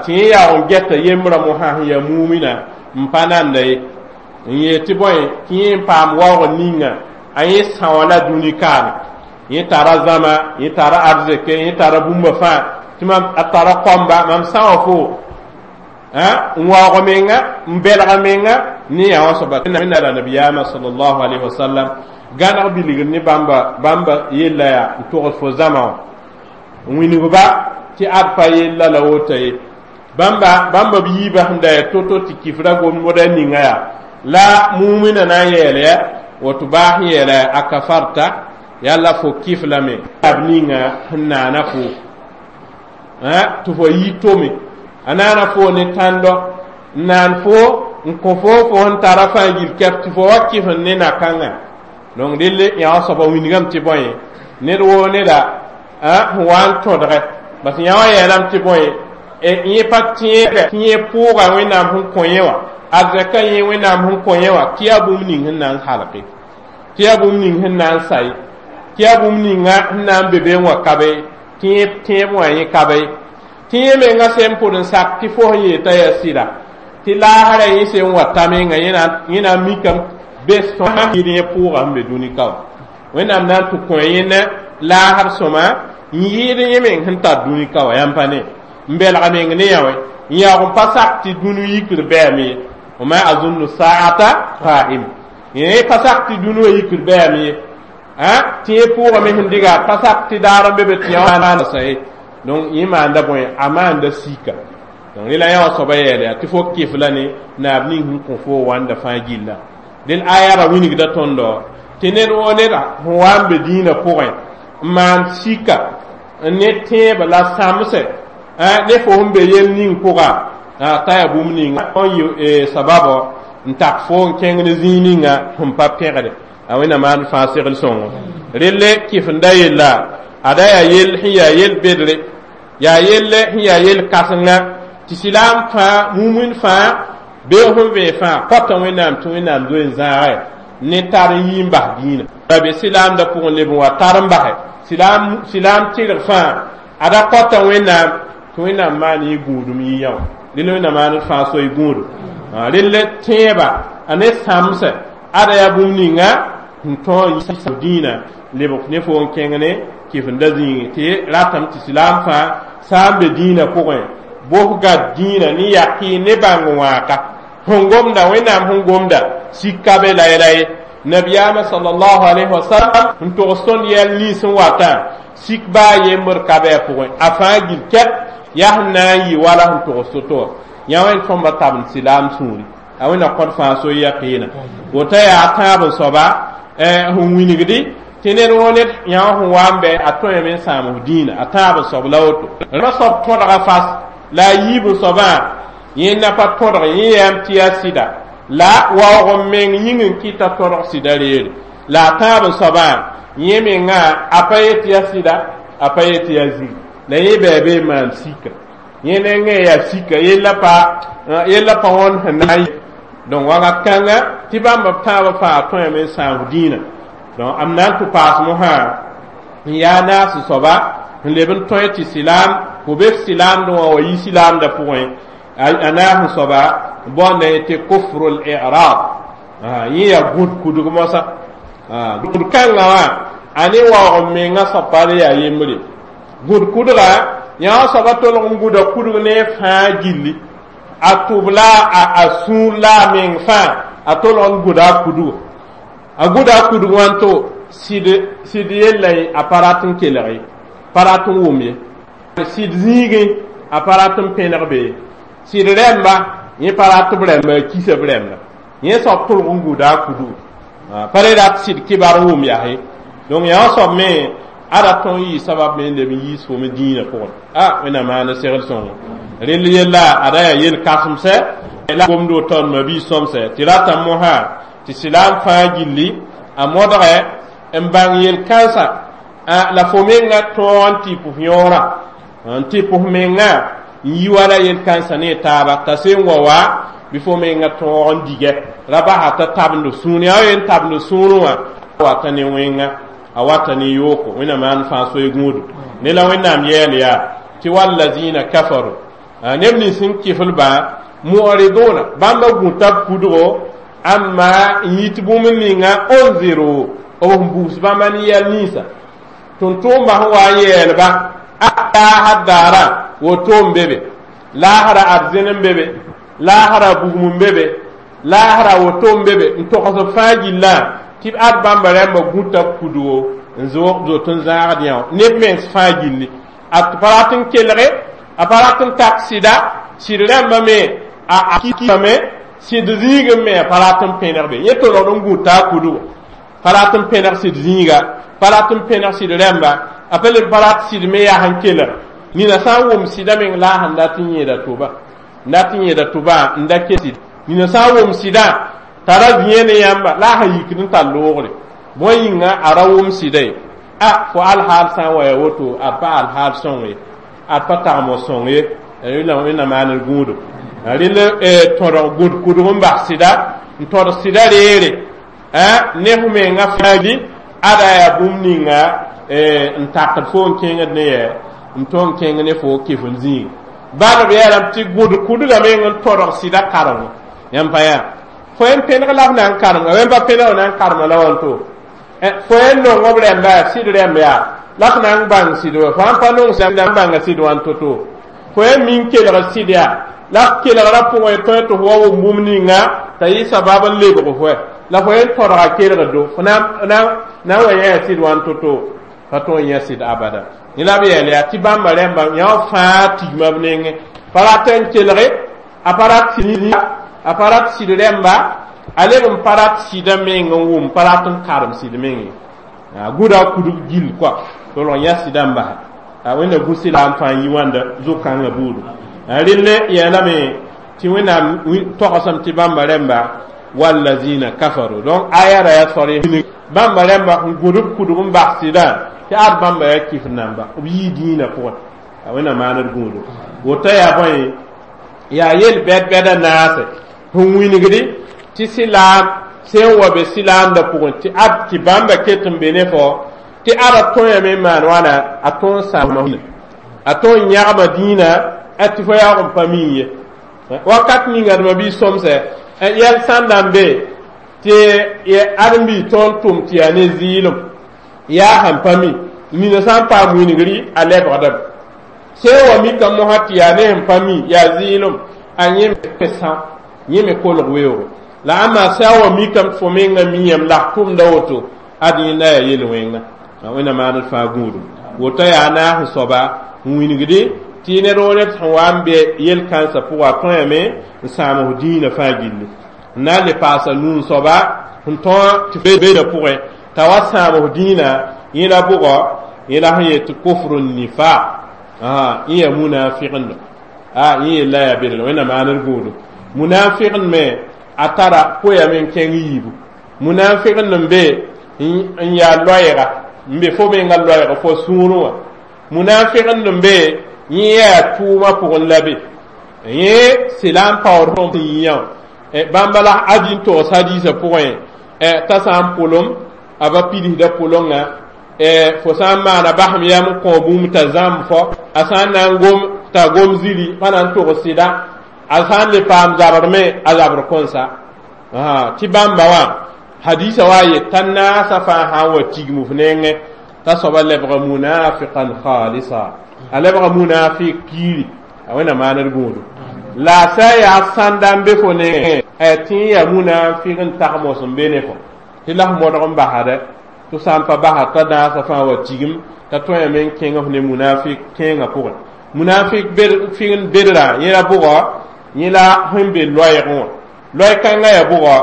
[SPEAKER 1] tɩ yẽ yaoog n gɛta yembrã mosã sẽn yaa mumina n pa nanda ye n yeel tɩ bõe tɩ yẽ n paam waoog ninga a yẽ são la dũni kaame yẽ tara zãma yẽ tara arzɛke yẽ tara bũmba fãa tɩ mam a tara kõmba mam são fo n waoog menga n belg menga ne yaa wã soaba la nabiyaamã sallallahu alayhi wa sallam gãneg bilgr ne bãmba bãmba yella yaa n togs fo zãma wã n wilgba tɩ ad pa yella la woto ye bãmba bãmba b yiibã sẽn da yaa to-to tɩ kifra gomda ninga yaa la mumina na n yeel ya woto baas yeela a kafarta yalla fo kif lame ab ninga sẽn naana fo tɩ fo yi tome a naana fo ne tãndo n naan fo n kõ fo fo sẽn tara fãa gil kɛp tɩ fo wa kɩf n ne na-kãngã donc delle yã soaba wilgame tɩ bõe ned woo neda sẽn wa n tõdgɛ bas yã wã yeelame tɩ bõe yẽ pa tẽeg tɩ yẽ pʋʋga Wẽnnaam sẽn kõ yẽ wã arzɛka yẽ Wẽnnaam sẽn kõ yẽ wã tɩ yaa bũmb ning sẽn na n halge tɩ yaa bũmb ning sẽn na n say tɩ yaa bũmb ninga sẽn na n be be n wa ka be tɩ yẽ tẽeb wã yẽ ka be tɩ yẽ menga sẽn pʋd n sak tɩ fo sẽn yeel t'a yaa sɩda tɩ laasrã yẽ sẽn wa ta menga yẽ na n mikame be sõma yɩd yẽ pʋʋga sẽn be dũni ka wã Wẽnnaam na n tɩ kõ yẽnda laasr sõma n yɩɩd yẽ meng sẽn tar dũni ka wã yãmb pa ne n belg meng ne yã wɛ n yaoog n pa sak tɩ dũni yikr bɛame ye wama azunnu saata qaim yẽ pa sak tɩ dũni wã yikr bɛame ye tɩ yẽ pʋʋgame sẽn diga pa sak tɩ daar n be be tɩ yã sa ye donc yẽ maanda bõe a maanda sika donc rela yã wã soaba yɛɛla yaa tɩ fo kɩf la ne naab ning sẽn kõ fo wãnda fãa gilla del aya ra wilgda tõndo tɩ ned woo neda sẽn wa n be dĩinã pʋgẽ n maan sika n ne tẽebã la sãmsɛ ne fo sẽn be yel ning pʋga t'a yaa bũmb ninga n yɩ sababɔ n tak fo n kẽng ne zĩig ninga sẽn pa pẽgde a Wẽnnaam maan fãa segl sõngo relle kɩf n da yella ada yaa yell sẽn yaa yel bedre yaa yelle sẽn yaa yel kãsenga tɩ silaam fãa mumin fãa beoog sẽn vẽe fãa kõta Wẽnnaam tɩ Wẽnnaam zoe n zãagɛ ne tar n yi n bas dĩinã la be silaamdã pʋgẽ leb n wa tar n basɛ silaam silaam tɩrg fãa ada kõta Wẽnnaam tɩ Wẽnnaam maan yẽ gũudum yɩ yã wã rel Wẽnnaam maan d fãa soy gũudum relle tẽebã a ne sãmsɛ ada yaa bũmb ninga sẽn tõog n dĩinã lebg ne fo n kẽng ne kɩf n da zĩigi tɩ ratame tɩ silaam fãa sã n be dĩinã pʋgẽ bosga dĩinã ne yaqɩ ne bãng wãaka sẽn gomda Wẽnnaam sẽn gomda sik ka be la ye nabiyaamã sallallahu alayhi wa sallam n togs tõnd yɛl nins n watã sik baa yembr ka bɩ a pʋgẽ a fãa gil kɛp yaa sẽn na n yɩ wala sẽn togs to-to wã yã wẽnd tõmba tabend silaam sũuri a Wẽnna kõd fãa so yaqɩɩna woto yaa tãab n soaba sẽn wilgdi tɩ ned woo ned yã wã sẽn wa n bɛ a tõeme n sãam f dĩinã a tãab n soab la woto rã soab tõdga fas la a yiib n soabã yẽnda pa tõdg yẽ yaam tɩ yaa sɩda la waoog n meng yĩng n kɩta tõdg sɩda reere la a tãab n soabã yẽ mengã a pa yet yaa sɩda a pa yet yaa zĩig la yẽ bɩ be n maan sika yẽ nengẽ yaa sika yella pa yella pa wõnd sẽn na n donc wakat kãnga tɩ bãmb b tãabã fãa tõeme n sãam dĩinã donc am na n tɩ paas mosã n yaa naas soaba n leb n tõe tɩ silaam fo be f silaamdẽ wã wa yi silaamdã pʋgẽ a naas n soaba bõnda tɩ kufrul i'rad yẽ yaa gũd kudg moasã gũd kãngã wã a ne waoog n menga soab pa yaa yembre gũd kudga yã wã soaba tolg n gũda kudg ne fãa gilli a tʋb la a sũur la a meng fãa a tolg n gũda a kudgo a gũda a kudg wãnto sɩd sɩd yella a pa rat n kelg ye pa rat n wʋm ye sɩd zĩigẽ a pa rat n pẽneg be ye sɩd rɛmba yẽ pa rat b rɛmba a kisa b rɛmba yẽ soab tolg n gũda a kudgo Pa re rat sɩd kibar n wʋm yaa. Donc yaa soab me ada tõn yɩ sabab me n leb n yiis fo me dĩinã pʋgẽ. A Wẽnnaam maana segl sõngo rel yella ada yaa yel kãsemsɛ la gomd woto mabi sõmsɛ tɩ rata mosã tɩ sɩlaam fãa gilli a modgɛ n bãng yel-kãnsã la fo menga tõog n tɩ pʋs yõorã n tɩ pʋs menga n yi wala yel-kãnsã ne taaba t'a sẽn wa wa bɩ fo menga tõog n digɛ ra basa t'a tabend sũur yaa yen tabend sũurẽ wã wata ne wẽnga a wata ne yooko. Wẽnnaam maan fãa soe gũudu ne la Wẽnnaam yɛɛl yaa tɩ wallazina kafaru neb nins sẽn kɩflbã mu'riduna bãmba gũta b kudgo amma n yit bũmb ninga unziru b sẽn bugs bãmba ne yɛl ninsã tʋm-tʋʋmba sẽn wa n yɛɛlba a laasr daarã woto n be be laasra arzẽn n be be laasra bugum n be be laasra woto n be be n togs b fãa gillã tɩ b ad bãmba rãmba gũta b kudgo n zoot n zãagd yã neb mens fãa gilli a pa rat n kelge a pa rat n tak sɩda sɩd rãmba me a kame sɩd zĩigẽ me a pa rat n pẽneg be yẽ tolgd n gũta a kudgo pa rat n pẽneg sɩd zĩiga pa rat n pẽneg sɩd rãmba a pa leb pa rat sɩd me yaa sẽn kelg nina sã n wʋm sɩda meng la a sẽn dat n yẽeda tʋba n dat n yẽeda tʋba n da ke sɩd nina sã n wʋm sɩdã tara zĩyã ne yãmba la a sẽn yikd n tar loogre bõe yĩnga a ra wʋm sɩda ye a fo alhaal sã n wa ya woto ad pa alhaal sõng ye ad pa tagmo sõng ye Wẽnnaam maan d gũudo rẽnd tõdg gũd kudg n bas sɩda n tõd sɩda reere ne f menga fãa ada yaa bũmb ninga n takd fo n kẽngd ne yɛ n tõe n kẽng ne fo kɩf n zĩig bal b yeelame tɩ gũd kudga meng n tõdg sɩda karengo yãmb pa yaa fo n pẽneg la f na n karem wẽn pa pẽneg na n karema la wãnto fo n nong b rẽmba yaa sɩd rẽmb yaa la f na n bãng sɩd wa fo sãn pa nong sẽn n bãnga sɩd wãn to-to fo n min kelg sɩd yaa la f kelgrã pʋgẽ tõe tɩ f wa wʋm bũmb ninga t'a yɩ sabab n lebg fo la fo n tõdga kelgdo fo na n wa yã sɩd wãn to-to pa tõe n yã sɩd abada yẽ la b yɛɛl yaa tɩ bãmba rẽmba yã fãa tigma b nengẽ pa rat n kelge a pa rat a pa rat sɩd rẽmba a leb n pa rat sɩdã meng n wʋm pa rat n karem sɩd meng ye gʋda kudg gill koa tolg yã sɩdã n basa Wẽnna gũsɩla n fãa yi wãnda zo-kãngã buudu relle yeelame tɩ Wẽnnaam togsame tɩ bãmba rẽmba wallazina kafaru donc aya ra yaa sor bãmba rẽmba n gũd b kudg n bas sɩdã tɩ ad bãmba yaa kɩf namba b yii dĩinã pʋgẽ Wẽnnaam maan d gũudu woto yaa bõe yaa yel bɛd-bɛda naase sẽn wingdi tɩ sɩlaam sẽn wa be sɩlaamdã pʋgẽ tɩ ad tɩ bãmba ket n be ne fo tɩ ada tõe n maan wãna a tõe n sãama a tõe n yãgma dĩinã tɩ fo yaoog n pa mii ye wakat ninga d mabiis sõmsɛ yɛl sãnda n be tɩ ãdem-biis tõnd tʋm tɩ yaa ne zɩɩlem yaa sãn pa mi nina sã n paam wingri a lebgdame sẽn wa mika mosã tɩ yaa ne sẽn pa mi yaa zɩɩlem a yẽ me sã yẽ me kolg weoogo la ãmma sã n wa mikame tɩ fo menga miyame la f tʋmda woto ad yẽnda yaa yel-wẽnga Wẽnnaam maan d fãa gũudum woto yaa naas soaba n wingdi tɩ ned woo ned sẽn wa n be yel-kãnsã pʋga a tõeme n sãam f dĩinã fãa gilli n na n le paasa nuu soaba sẽn tõe tɩ beeda pʋgẽ t'a wa sãam f dĩinã yẽ la bʋgɔ yẽ la sẽn yet tɩ kufru nifaq yẽ yaa munafiqend a yẽ yella yaa bedl Wẽnnaam maan d gũudum munafiqend me a tara poyame n kẽng yiibu munafiqend n be n yaa loɛɛga n be fo menga loɛɛg fo sũurẽ wã munafiqend n be yẽ yaa tʋʋmã pʋgẽ la be yẽ sɩla n paood sẽn yĩ yã bãmba la adi n togs hadiisã pʋgẽ t'a sã n pʋlem a ba pidsda pʋlenga fo sã n maana basem yam n kõ bũmb t'a zãmb fo a sã n na n gom t'a gom ziri pa na n togs sɩda a sã n le paam zabr me a zabr kõnsa tɩ bãmba wã hadisa wa yet t'a naasã fãa sã n wa tigm f nengẽ t'a soaba lebga munafiqan khalisa a lebga munafik piiri a Wẽnnaam maan d gũudu la a sã n yaa sãnda n be fo nengẽ tɩ n yaa munafik n tagmos n be ne fo tɩ la f modg n basdɛ tɩ sã n pa basa t'a naasã fãa wa tigm t'a tõeme n kẽng f ne munafik kẽengã pʋgẽ munafik fɩgn bedrã yẽ la bʋgɔ yẽ la sẽn be loɛɛgẽ wã loɛɛ-kãngã yaa bʋgɔ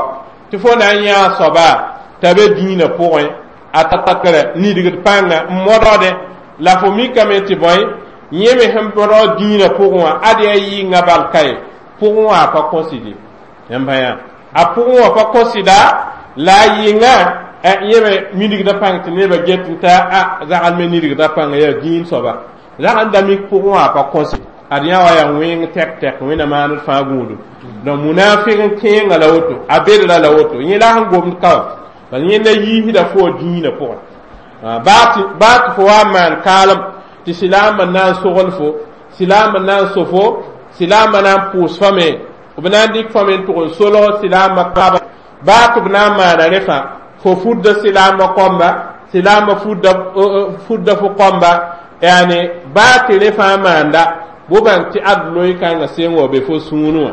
[SPEAKER 1] tɩ fo na n yãa soaba t'a be dĩinã pʋgẽ a ta takre nidgd pãnga n modgde la fo mikame tɩ bõe yẽ me sẽn modg dĩinã pʋgẽ wã ad yaa yɩnga bal ka ye pʋgẽ wã a pa kõsɩde yãmb yã a pʋgẽ wã pa kõsɩda la a yɩnga yẽ me minigda pãng tɩ nebã get n t'a a zagl me nidgda pãnga yaa dĩin soaba zag n da mik pʋgẽ wã a pa kõsɩ ad yã wa yaa wẽng tɛk tɛk wẽnna maaned fãa gũudum donc munafik n kẽenga la woto a bedra la woto yẽ la sẽn gomd ka wã bal yẽnda yiisda fo dĩinã pʋgẽ baa tɩ fo wa n maan kaalem tɩ silaambã na n sogl fo silaambã na n so fo silaambã na n pʋʋs fame b na n dɩk fame n tʋg n solg silaambã kaba baa tɩ b na n maana rẽ fãa fo fudda silaambã kõmba silaambã fudda fudda fo kõmba yani baa tɩ rẽ fãa maanda bo bãng tɩ ad loe kãngã sẽn wa be fo sũurẽ wã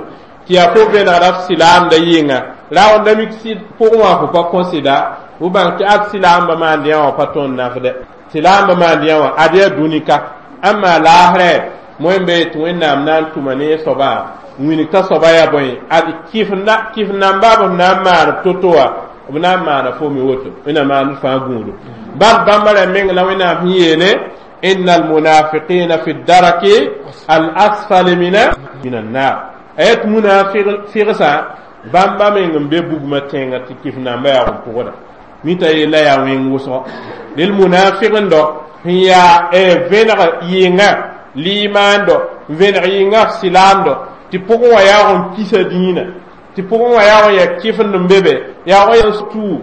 [SPEAKER 1] tɩ yaa fo vẽnegda f silaamda yɩnga raoonda mik pʋgẽ wã fo pa kõsɩda fo bãng tɩ ad silaambã maand yã wã pa tõnd nafdɛ silaambã maand yã wã ad yaa dũni ka ãmma laasrɛ moẽmbe tɩ wẽnnaam na n tʋma ne soabã wilg t'a soaba yaa bõe ad kɩf namba b na n maan b to-to wã b na n maana fo me woto wẽnnaam maand fãa gũudu bal bãmba ra meng la wẽnnaam sẽn yeele إن المنافقين في الدرك الأسفل من من النار ayat munafiqsa bãmba meng n be bugmã tẽngã tɩ kɩf namba yaa n pʋgda mita yella yaa wẽng wʋsgo rel munafiqndo sẽn yaa vẽneg yɩnga limaando n vẽneg yɩnga f silaamdo tɩ pʋgẽ wã yaoog n kisa dĩinã tɩ pʋgẽ wã yaoog n yaa kɩfend n be be yaoog n yaa tuu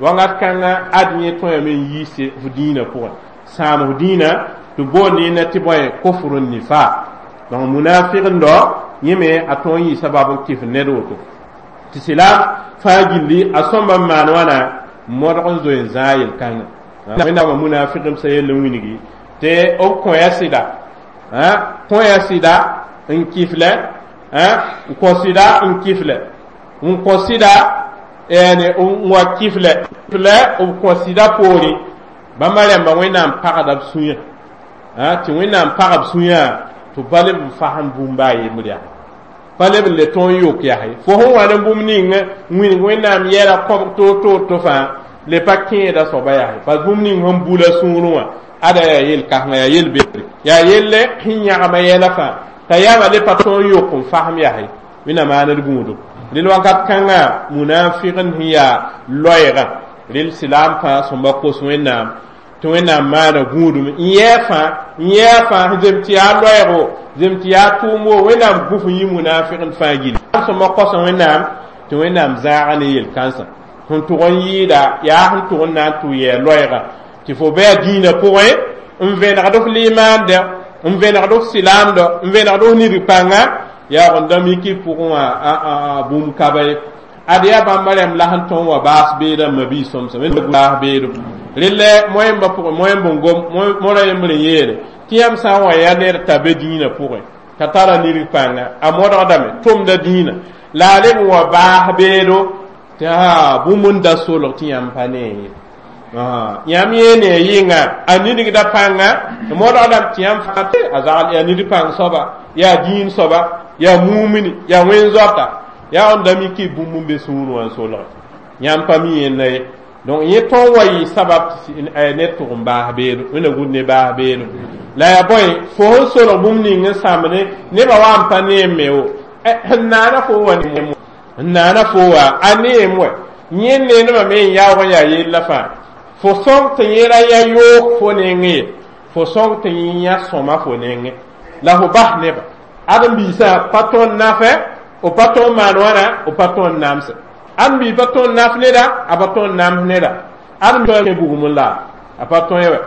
[SPEAKER 1] wãngat kãngã ad yẽ tõeme n yiise f dĩinã pʋgẽ sãam f dĩinã tɩ boond yẽnda tɩ bõe kufr nifaq donc munafiqndo yẽ me a tõog n yɩ sabab n kɩf ned woto tɩ silaam fãa gilli a sõmba n maan wãna modg n zoe n zãag yel-kãngã wẽnnaamã munafiqmsã yell n wilgi tɩ b kõya sɩda kõya sɩda n kɩflɛ n kõ sɩda n kɩflɛ n kõ sɩda n wa kɩflɛ lɛ b kõ sɩda poorẽ bãmba rãmba wẽnnaam pagda b sũyã tɩ wẽnnaam pag b sũyã tɩ pa leb n fasem bũmb a yembr yaa pa leb n le tõog n yok yaa fo sẽn wa ne bũmb ning wilg wẽnnaam yɛla kõbg toor-toor to fãa le pa kẽeda soaba yaa parce bũmb ning sẽn bula sũurẽ wã ada yaa yel-kãsengã yaa yel-bebre yaa yelle sẽn yãgma yɛla fãa t'a yama le pa tõog n yok n fasem yaa wẽnnaam maaned gũudum rel wakat kãngã munafiqn sẽn yaa loɛɛgã rel silaam fãa sõmba kos wẽnnaam tɩ wẽnnaam maana gũudum n yɛɛ fãa n yɛɛ fãa zem tɩ yaa loɛɛgo zem tɩ yaa tʋʋmo wẽnnaam gũf n yɩ munafiqn fãa gilli sõmba kosa wẽnnaam tɩ wẽnnaam zãaga ne yel-kãnsã sẽn tʋg n yɩɩda yaa sẽn tʋg n na n tʋ yɛɛ loɛɛga tɩ fo bɩ a dĩinã pʋgẽ n vẽnegd f limaande n vẽnegd f silaamdɔ n vẽnegd f nidg pãnga yaoog n da miki pʋgẽ wã bũmb kaba ye ad yaa bãmba rãmb la sẽn tõnd wa baas beedã mabii sõmsã baas beedo relle moẽmbã pʋgẽ moẽmb n gom mora yembr n yeele tɩ yãmb sã n wa yaa ned t'a be dĩinã pʋgẽ t'a tara nidg pãnga a modgdame tʋmda dĩinã la a leb n wa baas beedo tɩ a bũmb n da solg tɩ yãmb pa nee ye yãmb yẽ ne yɩnga a nidgda pãnga modgdame tɩ yãmb fãa a zagl yaa nidg pãng soaba yaa dĩin soaba yaa mumini yaa wẽn-zoata yaa n da miki bũmb n be sũurẽ wã n solge yãmb pa mi yẽnda ye donc yẽ tõog wa yɩ sabab ned tʋg n baas beedo wẽnna gũud ne baas beedo la yaa bõe fo sẽn solg bũmb ning n sãmbne nebã wa n pa neem me wo n naana fo wa n naana fo wa a neem wɛ yẽ neenebã me n yaoog n yaa yella fãa fo sõng tɩ yẽ ra ya yoog fo nengẽ ye fo sõng tɩ yẽ yã sõma fo nengẽ la fo bas nebã ãdem-biisã pa tõnd nafɛ b pa tõnd maan wãna b pa tõnd namsɛ ãdem-biis pa tõnd naf neda a pa tõnd nams neda ãdem bugum n la a pa tõe wɛ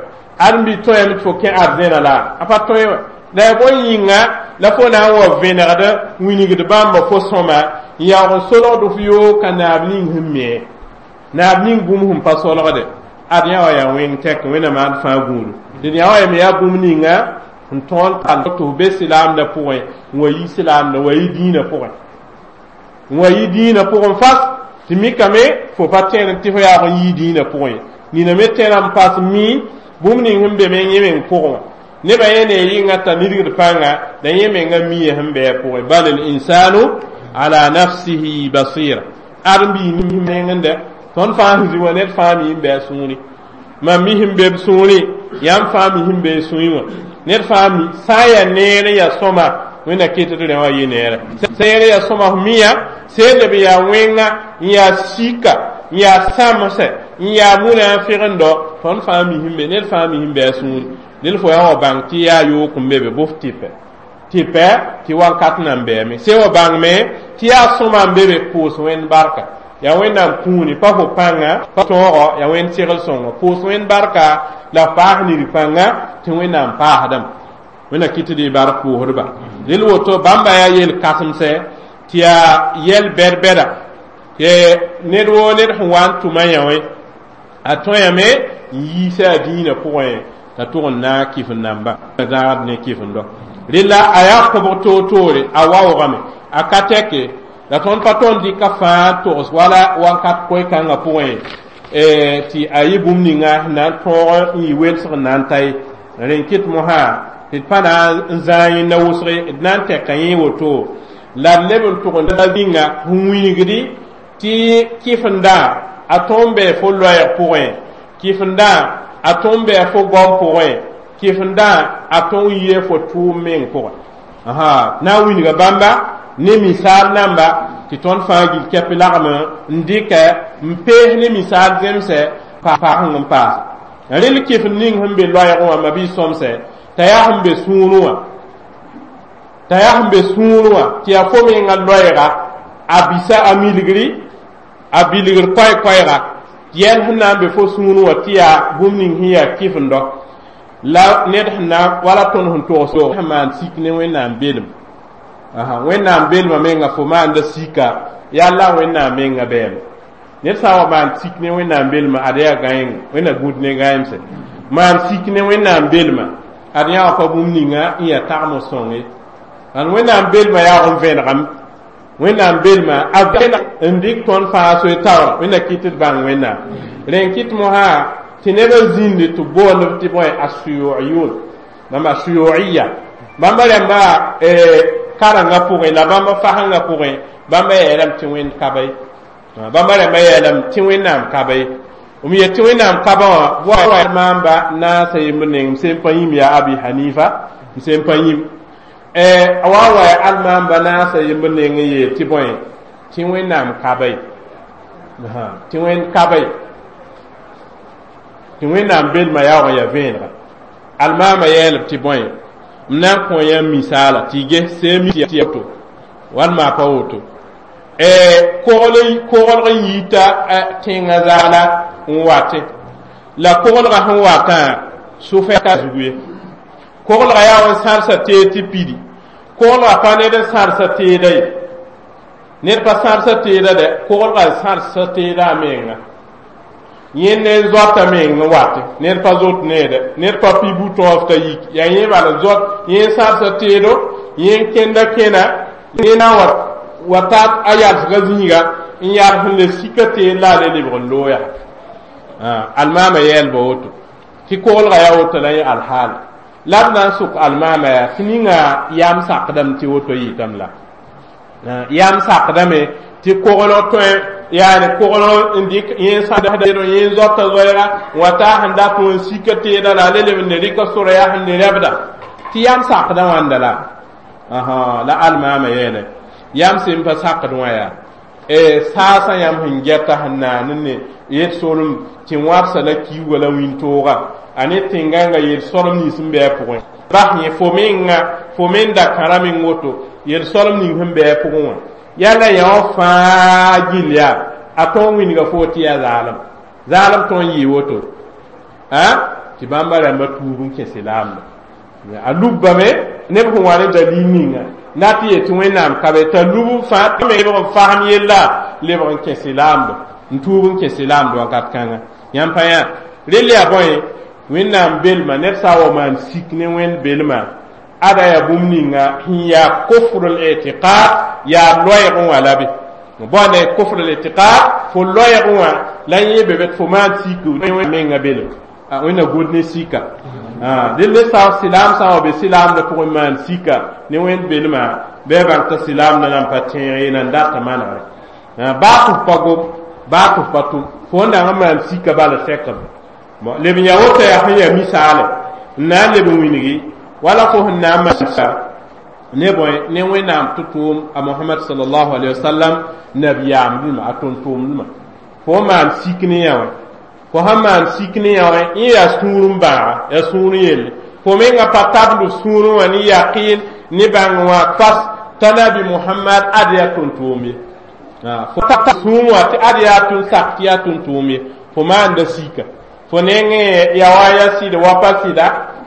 [SPEAKER 1] ãdem-biis tõeme tɩ fo kẽ arzẽna la a pa tõe wɛ la ya bõe yĩnga la fo na n wa vẽnegd wilgd bãmba fo sõma n yaoog n solgd f yoog ka naab ning sẽn me naab ning bũmb sẽn pa solgde ad yã wa yaa wẽng tɛk wẽnnaam maand fãa gũudu dẽd yã wa yame yaa bũmb ninga n tõog n tall tɩ f be silaamdã pʋgẽ n wa yi silaamdã wa yi dĩinã pʋgẽ n wa yi dĩinã pʋgẽ fas tɩ mikame fo pa tẽed tɩ fo yaoog n yii dĩinã pʋgẽ nina me tẽra n pas mi bũmb ning sẽn be me yẽ meng pʋgẽ wã nebã yẽ ne yɩnga t'a nidgd pãnga la yẽ menga mia sẽn bɩ a pʋgẽ bal l insanu ala nafsihi basira ãdem-biig nengẽ Tõnd fãa sẽn zĩ wã ned fãa mi n bɩ a sũuri. Mam mi sẽn be b sũurẽ, yãmb fãa mi sẽn be sũurẽ wã. Ned fãa mi sã n yaa neer n yaa sõma, Wẽnna ket d rẽ wã yɩ neere. Sã n yaa sõma f miya, sẽn leb n yaa wẽnga, n yaa sika, n yaa sãmsɛ, n yaa mũnã n fegendo, tõnd fãa mi sẽn be, ned fãa mi sẽn be a sũuri. Dẽl fo yaa wa bãng tɩ yaa yook n be be, bʋf tɩpɛ. Tɩpɛ tɩ wakat nan bɛɛme. Sẽn wa bãng me tɩ yaa sõma n be be, pʋʋs Wẽnd barka. Yaa Wẽnnaam kũuni, pa fo pãnga, pa tõogo, yaa Wẽnd segl sõngo. Pʋʋs Wẽnd barka la f paas nir-pãnga tɩ Wẽnnaam paasdame. Wẽnna kɩt tɩ d bark pʋʋsdba. Rel woto bãmba yaa yel-kãsemsɛ tɩ yaa yɛl bɛd-bɛda tɩ ned woo ned sẽn wa n tʋma yã wẽ a tõyame n yiisa a dĩinã pʋgẽ t'a tʋg n na n kɩf n namba zãagd ne kɩfendɔ. Rela a yaa kõbg toor-toore, a waoogame, a ka tɛke la tõnd pa tõnd dɩka fãa togs wala wakat koe-kãngã pʋgẽ tɩ a yɩ bũmb ninga sẽn na n tõog n yɩ welsg n na n ta ye. Rẽn kɩt mosã tɩ d pa na n zãag yẽnda wʋsge, d na n tɛka yẽ woto la d leb n tʋg n ninga sẽn wilgdi tɩ kɩfendã a tõnd bɩ fo loɛɛg pʋgẽ, kɩfendã a tõnd bɩ fo goam pʋgẽ, kɩfendã a tõnd yɩ fo tʋʋm meng pʋgẽ. Asa na n wilga bãmba ne misaal namba tɩ tõnd fãa gil kɛp lagm n dɩkɛ n pees ne misaal zemsɛ paasẽng n paase. Rel kɩfend ning sẽn be loɛɛgẽ wã ma bɩ sõmsɛ t'a yaa sẽn be sũurẽ wã, t'a yaa sẽn be sũurẽ wã tɩ yaa fo menga loɛɛga a bisa a milgri a bilgr koɛɛ-koɛɛga yɛl sẽn na n be fo sũurẽ wã tɩ yaa bũmb ning sẽn yaa kɩfendɔ la ned sẽn na wala tõnd sẽn togs sẽn maan sik ne Wẽnnaam belem. Wẽnnaam belmã menga fo maanda sika yaa la Wẽnnaam menga bɛɛme. Ned sã n wa maan sik ne Wẽnnaam belmã, ad yaa gãeng, Wẽnna gũud ne gãeemsɛ. Maan sik ne Wẽnnaam belmã, ad yã wã pa bũmb ninga n yaa tagem sõng ye. Ãn Wẽnnaam belmã yaoog n vẽnegame. Wẽnnaam belmã a n dɩk tõnd fãa soe taoora, Wẽnna kɩt d bãng Wẽnnaam. Rẽn kɩt mosã tɩ nebã zĩndi tɩ boond b tɩ bõe a suyuiyun, bãmba suyuiya, bãmba rãmba karengã pʋgẽ la bãmba fasengã pʋgẽ, bãmba yeelame tɩ Wẽnd ka ba ye. Bãmba rãmba yeelame tɩ Wẽnnaam ka ba ye. M yet tɩ Wẽnnaam ka ba wã wa maamba naasa yembr neng m sẽn pa yĩm yaa Abi Hanifa, m sẽn pa yĩm a wa wa ya almaamba naasa yembr neng n yeel tɩ bõe tɩ Wẽnnaam ka ba ye, tɩ Wẽnd ka ba ye, tɩ Wẽnnaam belmã yaoog n yaa vẽenega. Almaamã yeelb tɩ bõe m na n kõ yãmb misaala tɩ y ges seem tɩ to walma pa woto koglg n yiita tẽngã zaala n wate la koglgã sẽn watã sʋfɛka zugu ye. Koglgã yaa n sãrsa teed tɩ pidi, koglgã pa ned n sãrsa teeda ye, ned pa sãrsa teeda dɛ, koglgã n sãrsa teeda a menga, yẽnd ne n zoata meng n wate, ned pa zot neede, ned pa pi bu-tõog t'a yik, yaa yẽ bala n zot, yẽ n sãrsa teedo, yẽ n kẽnda kẽna, yẽ na n wa wa ta a yalsga zĩiga n yals n le sika teed la a le lebg n looya. Almaamã yɛɛlba woto tɩ koglgã yaa woto la yẽ alhaal la b na n sʋk almaamã yaa tɩ ninga yam sakdame tɩ woto yɩtame la yam sakdame tɩ koglg tõe yaani koglg n dɩk yẽ sãdã yẽ zoata zoɛɛga n wa taa sẽn dat n sika teeda la a le leb n ne rɩka sora yaa sẽn ne rɛbda tɩ yam sakdã wãnda la la almaamã yeele yam sẽn pa sakd wã yaa saasã yãmb sẽn gɛta sẽn naan ne yel solem tɩ wãbsa la kiuga la wĩntooga a ne tẽngãngã yel solem nins sẽn bɩ a pʋgẽ bas yẽ fo menga fo men da kãra meng woto yel solem ning sẽn bɩ a pʋgẽ wã yala yã wã fãa gill yaa a tõog wilga fo tɩ yaa zaalem zaalem tõog n yɩɩ woto a tɩ bãmba rãmba tuub n kẽ silaamda a lubbame neb sẽn wa ne dalil ninga na tɩ yet tɩ Wẽnnaam ka be t'a lub n fãa lebg n fasem yella lebg n kẽ silaamdo n tuub n kẽ silaamdo wakat kãnga yãmb pa yã rel yaa bõe Wẽnnaam belma ned sã n wa maan sik ne Wẽnd belma ada yaa bũmb ninga sẽn yaa kufr l itiqad yaa loɛɛgẽ wã la be bõne kufr l itiqad fo loɛɛgẽ wã la yẽ be tɩ fo maan sik menga belem Wẽnna gũud ne sika dẽnd ne sã silaam sã n wa be silaamdã pʋgẽ maan sika ne Wẽnd belmã bɩ a bãng t'a silaamdã nan pa tẽeg ye nan data manegre baa tɩ f pa gom baa tɩ f pa tʋm. Fo n dag n maan sika bala sɛkb leb n yaa woto yaa sẽn yaa misaale n na n leb n wilgi wala fo sẽn na n maan ne bõe ne Wẽnnaam tɩ tʋʋm a Mohamad sallallahu alaihi wasallam nabiyaamdẽma a tʋm-tʋʋmdẽma fo maan sik ne yã wã fo sãn maan sik ne yã wã yẽ yaa sũur n bãaga yaa sũur yelle fo menga pa tabl sũurẽ wã ne yaqɩn ne bãng wã fas t'a nabi Muhammad ad yaa tʋm-tʋʋm ye fo ta sũur wã tɩ ad yaa tʋn sak tɩ yaa tʋm-tʋʋm ye fo maanda sika fo nengẽ ya wa ya sɩda wa pa sɩda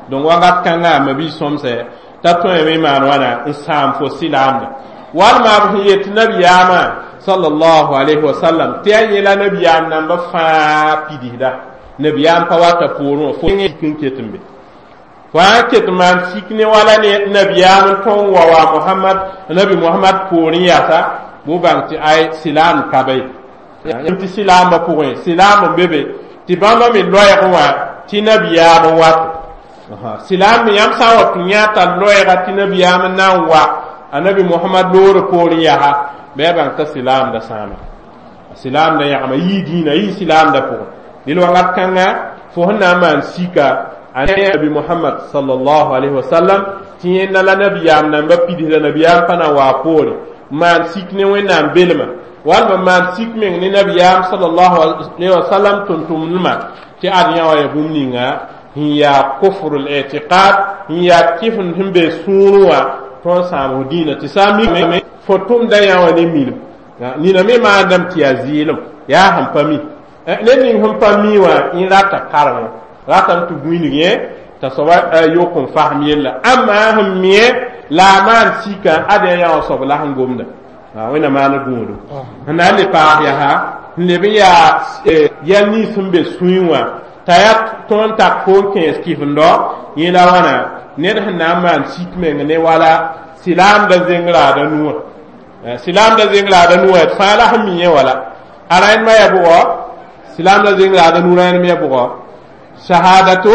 [SPEAKER 1] donc wakat kãnga mabi sõmsɛ t'a tõeme maan wãna n sãam fo sɩlaamda walma b sẽn yet nabiyaamã sallallahu alayhi wa sallam tɩ yaa yẽla nabiyaam namba fãa pidsda nabiyaam pa wata poorẽ wã fo n ket n be fo sã n ket n maan sik ne wala ne nabiyaam n tõn wa wa Mohamad nabi Mohamad poorẽ yasa bʋ bãng tɩ ay sɩlaam ka be tɩ sɩlaambã pʋgẽ sɩlaam n be be tɩ bãmba me loɛɛg wã tɩ nabiyaam n wato sɩlaam me yãmb sã n wa tɩ yã t'a loɛɛga tɩ nabiyaam n na n wa a nabi Mohamad loore poorẽ yaa bɩ a bãng t'a sɩlaamda sãama sɩlaamda yãgma yii dĩinã yii sɩlaamda pʋgẽ dẽl wakat kãnga fo sẽn na n maan sika a nabi Mohamad sallallahu alaihi wasallam tɩ yẽnda la nabiyaam namba pidsda nabiyaam pa na n waa poore maan sik ne Wẽnnaam belma walma maan sik meng ne nabiyaam sallallahu alaihi wasallam tʋm-tʋmdmã tɩ ad yã wã ya bũmb ninga sẽn yaa kufr l-i'tiqad sẽn yaa kɩfend sẽn be sũurẽ wã tõnd n sãam f dĩinã tɩ sã n mikame fo tʋmda yã wã ne minim nina me maandame tɩ yaa zɩɩlem yaa sẽn pa mi ned ning sẽn pa mi wã yẽ rata karengẽ ratame tɩ gũinig yẽ t'a soaba yok n fasem yella ãmma sẽn mi la a maan sika ad yã wã soab la sẽn gomda Wẽnnaam maana gũudum sẽn na n le paas yaa n leb n yaa yɛl nins sẽn be sũyẽ wã t'a yaa tõnd tak fo n kẽes kɩfendɔ yẽ la wãna ned sẽn na n maan sik meng ne wala sɩlaamda zeng raada nuwã sɩlaamda zeng raada nuwã d fãa la sẽn mi yẽ wala a rãendmã yaa bʋgɔ sɩlaamda zeng raada nu rãendm yaa bʋgɔ shahadatu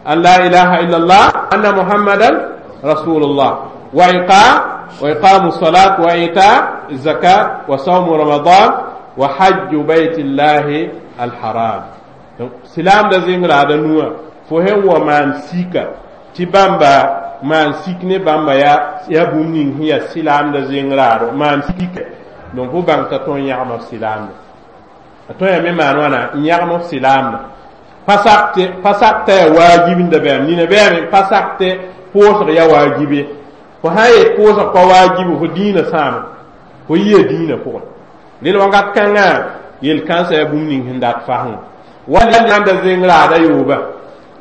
[SPEAKER 1] an la ilaha illallah anna muhammadan rasulullah wa iqam wa iqamu salat wa ita zakat wa sawmu ramadan wa hajju baytillahi alharam donc sɩlaamda zeng raada nuwã fo sẽn wa maan sika tɩ bãmba maan sik ne bãmba yaa yaa bũmb ning sẽn yaa sɩlaamda zeng raado maan sika donc fo bãng t'a tõe n yãgm f sɩlaamda a tõe yaa me maan wãna n yãgm f sɩlaamda pa sak pa sak t'a yaa waajib n da bɛame nina bɛame pa sak tɩ pʋʋsg yaa waajib ye fo sã n yet pʋʋsg pa waajibu fo dĩinã sãama fo yia dĩinã pʋgẽ dẽl wakat kãngã yel-kãnsã yaa bũmb ning sẽn dat fasẽ wa limaanda zeng raada yooba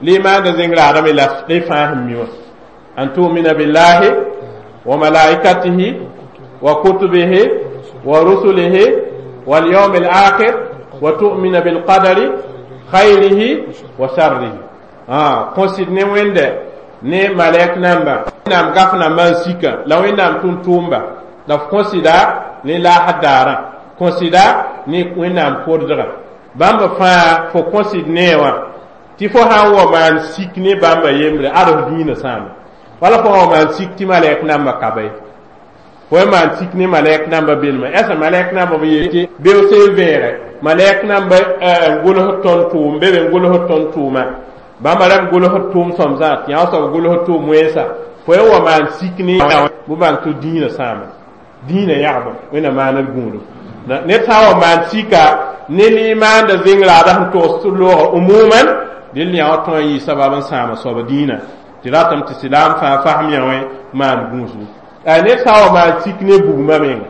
[SPEAKER 1] limaanda zeng raada me la d fãa sẽn mi wã an tu'mina billahi wa malaikatihi wa kutubihi wa rusulihi wal yawm al akhir wa tu'mina bil qadari khayrihi wa sharrihi ah kõsɩd ne Wẽnde ne malɛk namba Wẽnnaam gaf namba n sika la Wẽnnaam tʋm-tʋʋmba la f kõsɩda ne laasd daarã kõsɩda ne Wẽnnaam kodgã bãmb fãa fo kõsɩd nee wã tɩ fo sã n wa maan sik ne bãmba yembre ad f dĩinã sãame wala fo wa maan sik tɩ malɛk namba ka be fo y maan sik ne malɛk namba belma ɛsã malɛk namba b yeel tɩ beoose n vẽege malɛk namba n gʋls tõnd tʋʋm be be n gʋls tõnd tʋʋma bãmba rãmb gʋls tʋʋm sõmsã tɩ yã soab gʋls tʋʋm wẽnsa fo y wa maan sik ne bʋ bãng tɩ dĩinã sãame dĩinã yãgba Wẽnnaam maana d gũudum ned sã n wa maan sika ne limaanda zeng raada sẽn togs looga umuman dẽl yã wã tõe n yɩ sabab n sãama soaba dĩinã tɩ ratame tɩ sɩlaam fãa fasem yã wẽ maan gũusgu ned sã n wa maan sik ne bugmã menga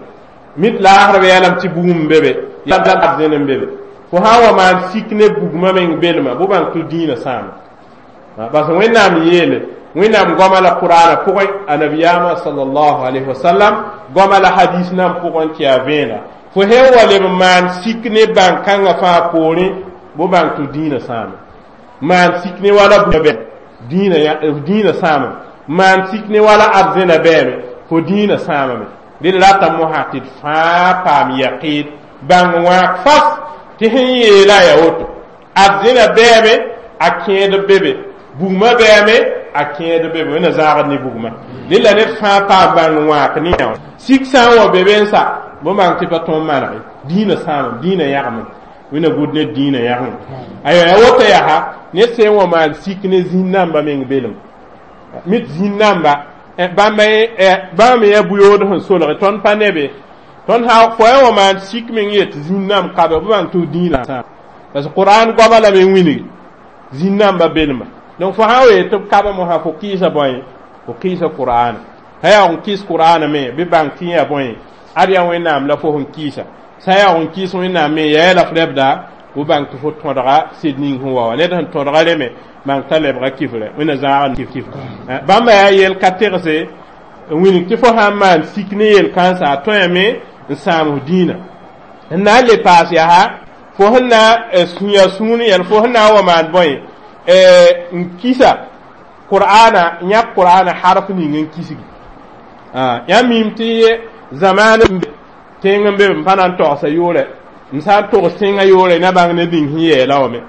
[SPEAKER 1] mit laasrb yɛlame tɩ bugum n be be zẽn n be be fo sã n wa maan sik ne bugmã meng belma bʋ bãng tɩ dĩinã sãama bas Wẽnnaam yeele Wẽnnaam goama la Qur'ana pʋgẽ a nabiyaamã sallallahu alayhi wa sallam goama la hadis nan pʋgẽ tɩ yaa vẽena fo sẽn wa leb n maan sik ne bãn-kãngã fãa poorẽ bʋ bãng tɩ dĩinã sãame maan sik ne wala dĩinã dĩinã sãame maan sik ne wala arzẽna bɛɛme fo dĩinã sãamame dẽl rata mosã tɩ d fãa paam yaqɩɩd bãng wãag fas tɩ sẽn yeela yaa woto arzẽna bɛɛme a kẽed be be bugmã bɛɛme a kẽed be be Wẽnna zãagd ne bugmã dẽl la ned fãa paam bãng wãak ne yã sik sã n wa be be n sa bõn bãng tɩ pa tõe n manege dĩinã sãamame dĩinã yãgame Wẽnna gũud ne dĩinã yãgẽ. Ayo, ya woto yaa ned sẽn wa maan sik ne zĩn-namba meng belem mit zĩn-namba bãmba bãmb me yaa bu-yood sẽn solge tõnd pa ne be tõnd sã fo ya wa maan sik meng yet zĩn-namb kabe bɩ bãng tɩ f dĩinã sãam, parce que Qur'an goama lame n wilgi zĩn-namba belma. Donc fo sã n wee tɩ b kaba mosã, fo kɩɩsa bõe? Fo kɩɩsa Qur'ana. Sã yaa n kɩɩs Qur'ana me, bɩ bãng tɩ yaa bõe? Ad yaa Wẽnnaam la fo sẽn kɩɩsa. Sã yaa n kɩɩs Wẽnnaam me, yaa la f rɛbda bɩ bãng tɩ fo tõdga sɩd ning sẽn wa wa. Ned sẽn tõdga reme, bãng t'a lebga kifre, Wẽnna zãag kif. Bãmba yaa yel ka tegse n wilg tɩ fo sã n maan sik ne yel-kãnsã, a tõeme n sãam f dĩinã. N na n le paas yaa fo sẽn na ya sũur yɛl, fo sẽn na n wa maan bõe n kisa Qur'ana, yãk Qur'ana harf ning n kisgi. Yãmb mim tɩ zamaan n be tẽng n be m pa na n togsa yʋʋrɛ, m sã n togs tẽngã yʋʋrɛ na bãng ne ning sẽn yɛɛla wame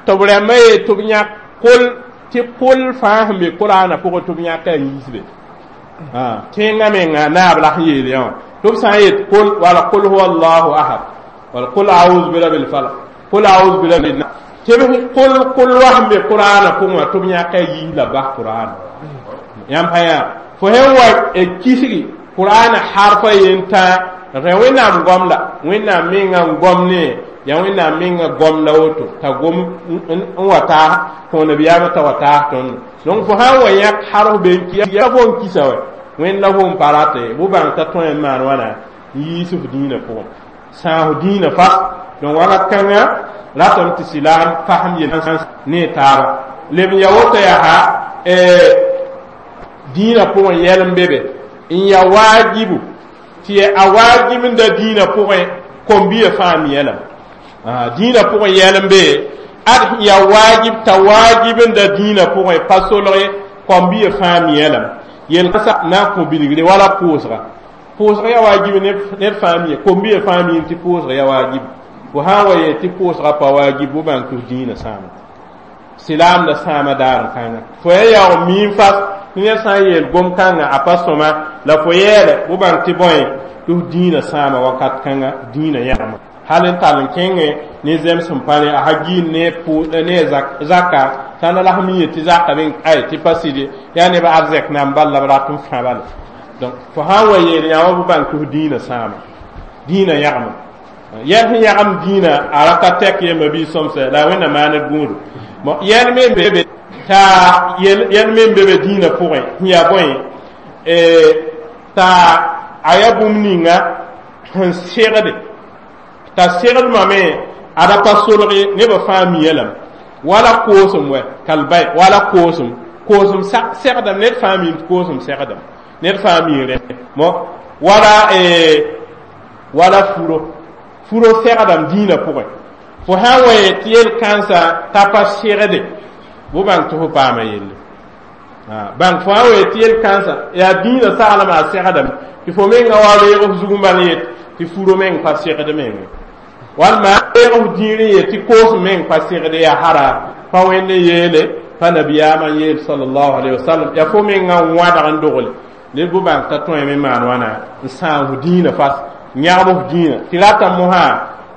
[SPEAKER 1] tɩ b rãmbã yee tɩ b yãk kol, tɩ kol fãa sẽn be Qur'ana pʋgẽ tɩ b yãka n yiisbe tẽngã menga naab la sẽn yeel yã wã, tɩ b sã n yet kol wala qul huwa allahu ahad wala qul a'udhu bi rabbil falaq, qul a'udhu bi rabbin nas, tɩ b kol kol wa sẽn be Qur'ana pʋgẽ wã, tɩ b yãka yiis la bas Qur'ana. Yãmb pa yã fo sẽn wa kisgi Qur'ana harfa yen tã rẽ Wẽnnaam goam la Wẽnnaam menga n goam ne yaa Wẽnnaam menga goam la woto t'a gom n wa taa kõ nabiyaamã t'a wa taas tõndo. Donc fo sã n wa yãk harf be n ya fo n kisa wɛ Wẽnd la fo n pa rate bʋ bãng t'a tõe n maan wãna n yiis f dĩinã pʋgẽ, sãas f dĩinã fas. Donc wakat kãngã ratame tɩ silaam fasem yel ne taaba leb n ya woto yaa dĩinã pʋgẽ yɛl n be be n ya waajibu tɩ a waajib n da dĩinã pʋgẽ kom-biya fãa mi yɛlame dĩinã pʋgẽ yɛl n be ad ya waajib t'a waajib n da dĩinã pʋgẽ pa solge kom-biya fãa mi yɛlame yel na n kõ bilgre wala pʋʋsga. Pʋʋsga ya waajib ned fãa mi, kom-biya fãa mi tɩ pʋʋsga ya waajib. Fo sã n wa yeel tɩ pʋʋsga pa waajib, bʋ bãng tɩ f dĩinã sãama, silaamda sãama daar n kãnga. Fo ya yaoog miim fas tɩ ned sã n yeel gom-kãngã a pa sõma la fo yɛɛle, bʋ bãng tɩ bõe? Tɩ f dĩinã sãama wakat kãnga, dĩinã yãgma hal n tall n kẽngẽ ne zẽms sẽn pa ne a ha giin ne ne zaka sãn la sẽn mi ye tɩ zaka bɩ ay tɩ pa sɩde yaa neb arzɛk nan bal la b rat n fã bala. Donc fo sã n wa yeel yã wã, bʋ bãng tɩ f dĩinã sãama, dĩinã yãgma yɛl sẽn yãgem dĩinã a ra ka tɛk yemba bɩ sõmsɛ la Wẽnna maaned gũudu. Yɛl me n be t'a yɛl me n be be dĩinã pʋgẽ sẽn yaa bõe t'a a yaa bũmb ninga sẽn segde t'a segdmã me a ra pa solge nebã fãa mi lame wala koosem wɛ kalbay wala koosem koosem segdame ned fãa mi tɩ koosem segdame, ned fãa mi rẽ mo wala wala furo furo segdame dĩinã pʋgẽ. Fo sã n wa yet tɩ yel-kãnsã t'a pa segde, bʋ bãng tɩ fo paama yelle bãng. Fo sã n wa yet tɩ yel-kãnsã yaa dĩinã saglmã a segdame, tɩ fo menga wa reeg f zug n bal yet tɩ furo meng pa segd menge, walma reeg f dĩir n yet tɩ koosem meng pa segd, yaa hara pa Wẽnd n yeele, pa nabiyaamã n yeel sallallahu alaihi wasallam, yaa fo menga n wãdg n dogle ned, bʋ bãng t'a tõeme maan wãna n sãam f dĩinã fas, yãgb f dĩinã. Tɩ rata mosã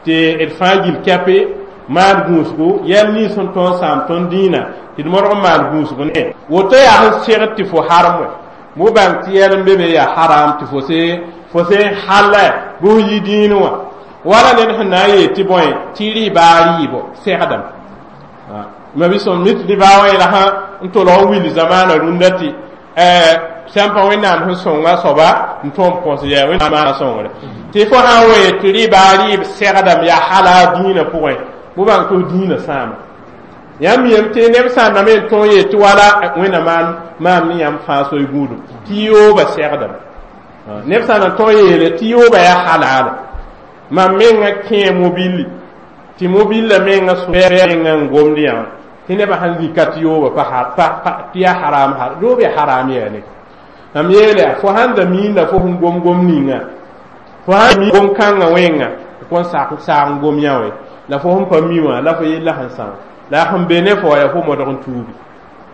[SPEAKER 1] tɩ d fãa gil kɛpe maan gũusgu yɛl nins sẽn tõog n sãam tõnd dĩinã tɩ d modg n maan gũusg ne woto yaa sẽn segd tɩ fo harem wɛ, bʋ bãng tɩ yɛl n be be yaa haram tɩ fo se fo sẽn halla bɩ f yi dĩin wã wala ned sẽn na n yeel tɩ bõe tɩ rɩɩba rɩɩbo segdame ma bɩ sõm mit rɩba wã yẽla sã n tolg n will zamaana rũndã tɩ sãn pa Wẽnnaam sẽn sõnga soaba n tõog n põs yaa Wẽnnaam sõngre tɩ fo sã n wa yet tɩ rɩɩba rɩɩb segdame yaa hala dĩinã pʋgẽ, bʋ bãng tɩ f dĩinã sãama. Yãmb yem tɩ neb sã n na me n tõog yet tɩ wala Wẽnna maan maam ne yãmb fãa soy gũudum tɩ yooba segdame, neb sã n tõog yeele tɩ yooba yaa halaala. Mam menga kẽe mobilli tɩ mobillã menga menga n gomd yã tɩ nebã sãn zika tɩ yooba pa tɩ yaa haram, yoob yaa haram yaa ne mam yeele fo sãn da miinda fo sẽn gom gom ninga, fo sãn mi gom kãngã wẽnga kõn sak saag n gom yã wɛ la fo sẽn pa mi wã la fo yella sẽn sã la sẽn be ne fo yaa fo modg n tuubi,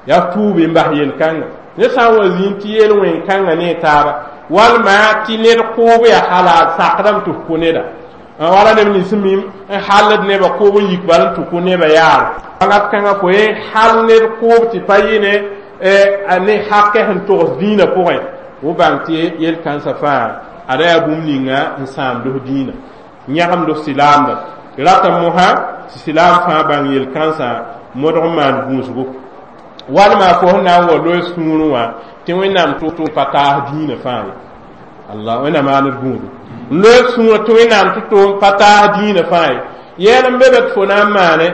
[SPEAKER 1] yaa tuubi n bas yel-kãngã. Ned sã n wa zĩnd tɩ yel wẽn-kãngã ne taaba walma tɩ ned kʋʋb yaa halal sakdame tɩ f kõ neda Wala neb nins sẽn mim n hallд nebã koob n yik bal n tʋ kʋ nebã yaar wakat kãngã fo ye hal ned koob tɩ pa yɩ ne ne hakɛ sẽn togs dĩinã pʋgẽ fo bãng tɩ yel-kãnsã fãa ada yaa bũmb ninga n sãamd f dĩinã n yãgemd f silaamda rata mosã tɩ silaam fãa bãng yel-kãnsã modg n maan gũusgo walma fo sẽn na n wa loe sũurẽ wã tɩ Wẽnnaam tʋ pa taas dĩinã fãa ye Allah Wẽnnaam maand gũudu n loe sũurã tɩ Wẽnnaam tɩ tʋm pa taas dĩinã fãa ye yɛl n be be tɩ fo na n maane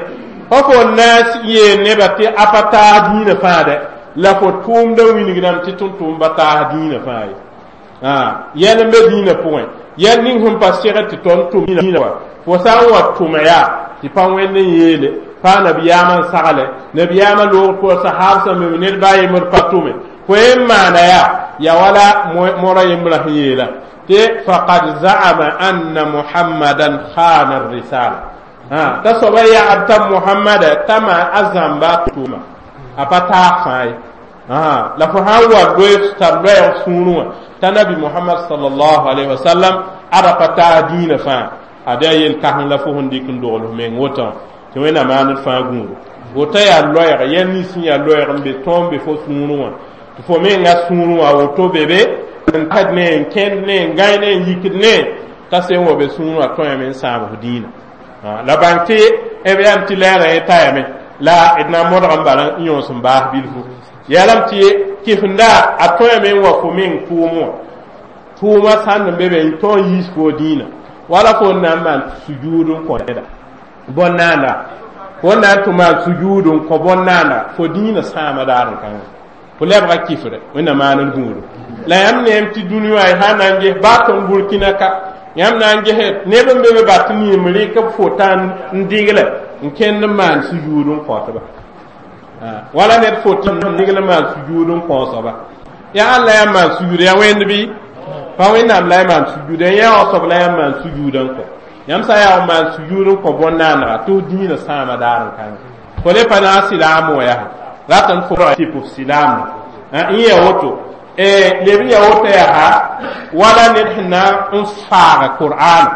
[SPEAKER 1] fa fo n na n yeel nebã tɩ a pa taas dĩinã fãa dɛ la fo tʋʋmdã wilgdame tɩ tʋm-tʋʋm taas dĩinã fãa ye yɛl n be dĩinã pʋgẽ yɛl ning sẽn pa segd tɩ tõnd tʋm dĩinã wa fo sã n wa tʋma yaa tɩ pa Wẽnd n yeele pa nabiyaamã n sagle nabiyaamã loog pʋgã sahaab sẽn be ned baa yembr pa tʋme fo yen maana yaa ya wala morã yembrã sẽn yeela tɩ faqad za'ama anna Muhammadan khana risala t'a soaba yagd t'a Muhammada t'a maan a zãmba tʋma a pa taag fãa ye la fo sã n wa loe tar loɛɛg sũurẽ wã t'a nabi Muhammad sallallahu alaihi wasallam ada pa taag dĩinã fãa ad yaa yel-kãseng la fo sẽn dɩk n dogl f meng wotã tɩ Wẽnnaam maand fãa gũudu woto yaa loɛɛg yɛl nins sẽn yaa loɛɛg n be tõog n be fo sũurẽ wã tɩ fo menga sũurẽ wã woto be be n kad ne n kẽnd ne n gãe ne n yikd ne t'a sẽn wa be sũurẽ wã tõeme n sãam f dĩinã la bãng tɩ b yam tɩ lɛɛrã yẽ tayame la d na n modg n bal n yõos n baas bilfu yalame tɩ kɩfenda a tõeme n wa fo meng tʋʋm wã tʋʋmã sãnd n be be n tõog n yiis fo dĩinã wala fo n na n maan sujuud n kõ neda bõn-naanda fo n na n tʋ maan sujuud n kõ bõn-naanda fo dĩinã sãama daar n kãngã fo lebga kifre Wẽnnaam maan d gũudu la yãmb neem tɩ dũni wã y sã na n ges baa tõnd Burkina ka yãmb na n ges neb n be be bat n rɩk b fota n digle n kẽnd n maan sujuud n kõtba wala ned fot n digl n maan sujuud n kõosba yaa alla yãmb maan sujuud yaa Wẽnd bɩ pa Wẽnnaam la y maan sujuud yã soab la yãmb maan sujuud n kõ yãmb sã n yaa n maan sujuud n kõ bõn-naanega tɩ f dĩinã sãama daar n kãngã fo le pa na n silaam wã yaa rat n fo tɩ f silaam n ya woto leb n ya woto yaa wala ned sẽn na n faaga Qur'ana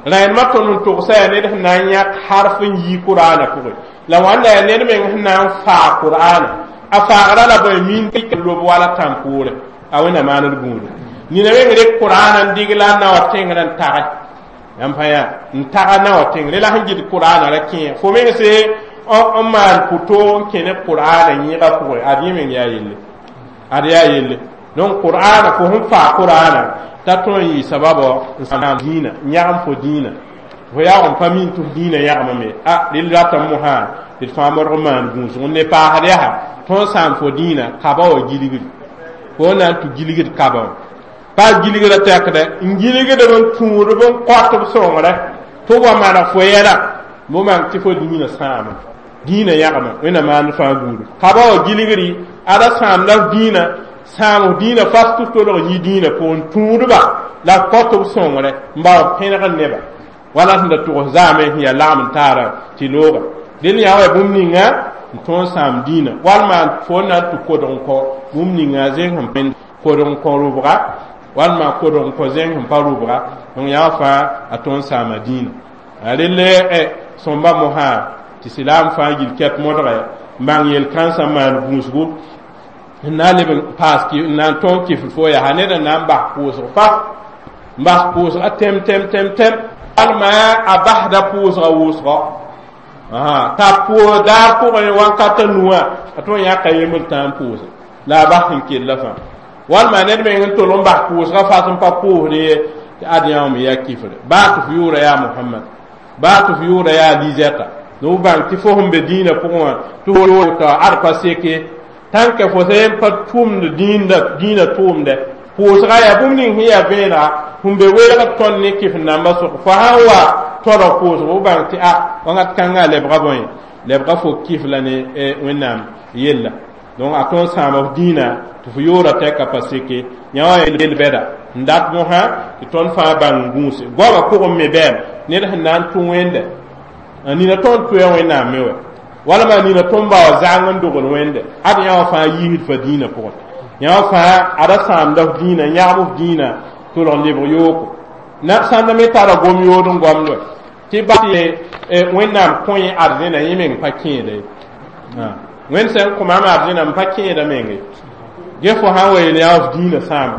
[SPEAKER 1] rẽndmã tõnd n togsa yaa ned sẽn na n yãk harf n yi Qur'ana pʋgẽ la wãnda yaa ned meng sẽn na n faag Qur'ana a faagra la bõe min lob wala tãn-poore a Wẽnnaam maan d gũudu nina meng rek Qur'ana n digla n na wa tẽngrã n tage yãmb fãa yaa n taga na wa tẽngre la sẽn gɩd Qur'ana ra kẽ fo meng se n maan pʋto n kẽ ne Qur'ana yẽega pʋgẽ ad yẽ meng yaa yelle ad yaa yelle donc Qur'ana fo sẽn faa Qur'ana t'a tõe n yɩ sababɔ n sãam dĩinã n yãgem fo dĩinã fo yaoog n pa min tɩ f dĩinã yãgemame a rel ratame mosã tɩ d fãa modg n maan gũusg n ne paasd yaa tõe n sãam fo dĩinã kaba wa gilgri fo na n tʋ gilgd kaba wã pa gilgrã tɛkdɛ n gilgdb n tũudb n kõtb sõngrɛ tɩ wa maneg fo yɛla mo mang tɩ fo dĩinã sãama dĩinã yãgema Wẽnnaam maand fãa gũudu kaba wa gilgri ada sãamda f dĩinã sãam f dĩinã fas tɩ f tolg yi dĩinã pʋgẽ tũudba la kõtb sõngrɛ n bao pẽneg neba wala sẽn da tʋgs zaame sẽn yaa lagm n taara tɩ looga dẽnd yaa wa bũmb ninga n tõog n sãam dĩinã walma fo n na n tʋ kodg n kõ bũmb ninga zẽng sẽn pẽnd kodg n kõ rʋbga walma kodg n kõ zẽng sẽn pa rʋbga donc yaa fãa a tõog n sãama dĩinã relle sõmba mosã tɩ silaam fãa gil kɛp modgɛ n bãng yel-kãnsã n maan gũusgu n na n leb n paas n na n tõog kɩfd fo yaa ned n na n bas pʋʋsg fas n bas pʋʋsga tɛm tɛm tɛm tɛm walma a basda pʋʋsga wʋsgɔ t'a pʋʋs daar pʋgẽ wãnkata nuwã a tõe n yãka yembr tã n pʋʋse la a bas sẽn kella fãa walma ned meng n tol n bas pʋʋsga fas n pa pʋʋsd ye tɩ ad yã me yaa kifre baa tɩ f yʋʋra yaa Mohamad baa tɩ f yʋʋra yaa Lizɛta b bãng tɩ fo sẽn be dĩinã pʋgẽ wã tɩ fo ad pa seke tãnk fo sẽn pa tʋmd dĩinã tʋʋmdɛ pʋʋsga yaa bũmb ning sẽn yaa vẽenega sẽn be welgd tõnd ne kɩf nambã sʋk fo sã n wa tɔrg pʋʋsg b bãng tɩ a wãngat kãngã lebga bõe lebga fo kɩf la ne Wẽnnaam yella donc a tõog sãama f dĩinã tɩ f yʋʋra tɛka pa seke yã wã yel bɛda n dat mosã tɩ tõnd fãa bãng gũuse goamã pʋgẽ me bɛɛm ned sẽn na n tũ Wẽnde nina tõnd tʋya Wẽnnaam me wa walma nina tõnd bao zãng n dogl Wẽnde ad yã wã fãa yiisd fa dĩinã pʋgẽ yã wã fãa ada sãamda f dĩinã yãgem f dĩinã tolg n lebg yooko Na sãn da me tara gom yood n goamd wa tɩ ba tɩ Wẽnnaam kõ yẽ arzẽna, yẽ meng pa kẽeda ye. Wẽnd sẽn kõ maam arzẽna, m pa kẽeda meng ye. Ge fo sã n wa yeel yaa f dĩinã sãama,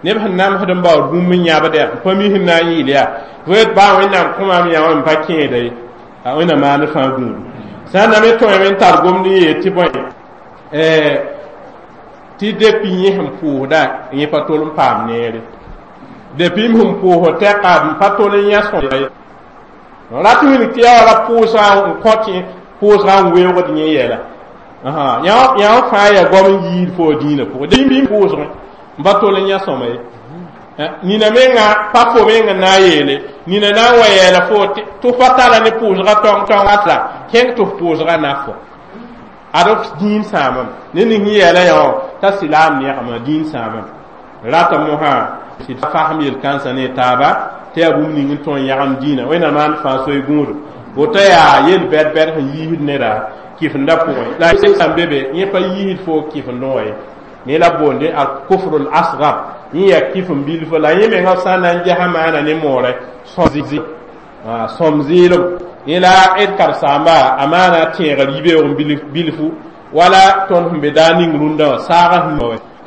[SPEAKER 1] neb sẽn namsd n baood bũmb n yãbd yaa n pa mi sẽn na n yɩɩl yaa fo yet baa Wẽnnaam kõ maam yã wã, m pa kẽeda ye, a Wẽnnaam maand fãa gũudu. Sã n na me tõeme n tar gomd n yeel tɩ bõe tɩ depuis yẽ sẽn pʋʋsda, yẽ pa tol n paam neere, depuis m sẽn pʋʋsd tɛka, m pa tol n yã sõma ye. Rat wilg tɩ yaa wala pʋʋsgã n kõ tɩ pʋʋsgã n weoogd yẽ yɛla. Yã fãa yaa goam n yiid fo dĩinã pʋgẽ, depuis pʋʋsgẽ n pa tol n yã sõma ye. Nina menga pa fo menga na n yeele nina na n wa yɛɛla fo tɩ fa tara ne pʋʋsgã tɔng tɔngã tla kẽng tɩ f pʋʋsgã na fo ad f dĩin sãamame ne ning sẽn yɛɛla yã wã t'a silaam neegame dĩin sãamame rata mosã tɩ fasem yel-kãnsã ne taaba tɩ yaa bũmb ning n tõe n yãgem dĩinã. Wẽnnaam maan fãa soy gũudo woto yaa yel-bɛd bɛd sẽn yiisd neda kɩfendã pʋgẽ la sã n be be yẽ pa yiisd fo kɩfendẽ wã ye. Ne la boonde al kufr al asgar, yẽ yaa kɩf n bilf la yẽ menga sã n na n gesã maana ne moorɛ sõm zɩɩlem. Yẽ la d karen-saamba a maana tẽegr yibeoog bilfu wala tõnd sẽn be daar ning rũndã wã saagã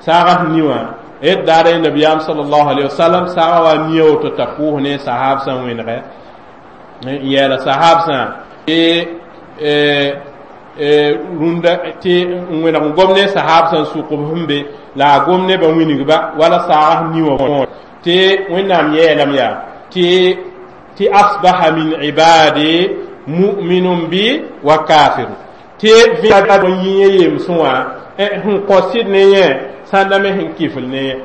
[SPEAKER 1] saagã sẽn ni wã d daara nabiyaam sallallahu alaihi wasallam saagã wa nia woto t'a pʋʋs ne sahab sã n wẽnegɛ n yɛɛla sahab sã tɩ rũndã tɩ n wẽneg n gom ne sahab sã n sʋk b sẽn be la a gom nebã wingba wala saagã sẽn ni wã tɩ Wẽnnaam yɛɛlame yaa tɩ tɩ asbaha min ibadi mu'minun bi wa kafiru tɩ vẽa n yĩ yẽ yemsẽ wã sẽn kõ sɩd ne yẽ sãn da me sẽn kifl ne yẽ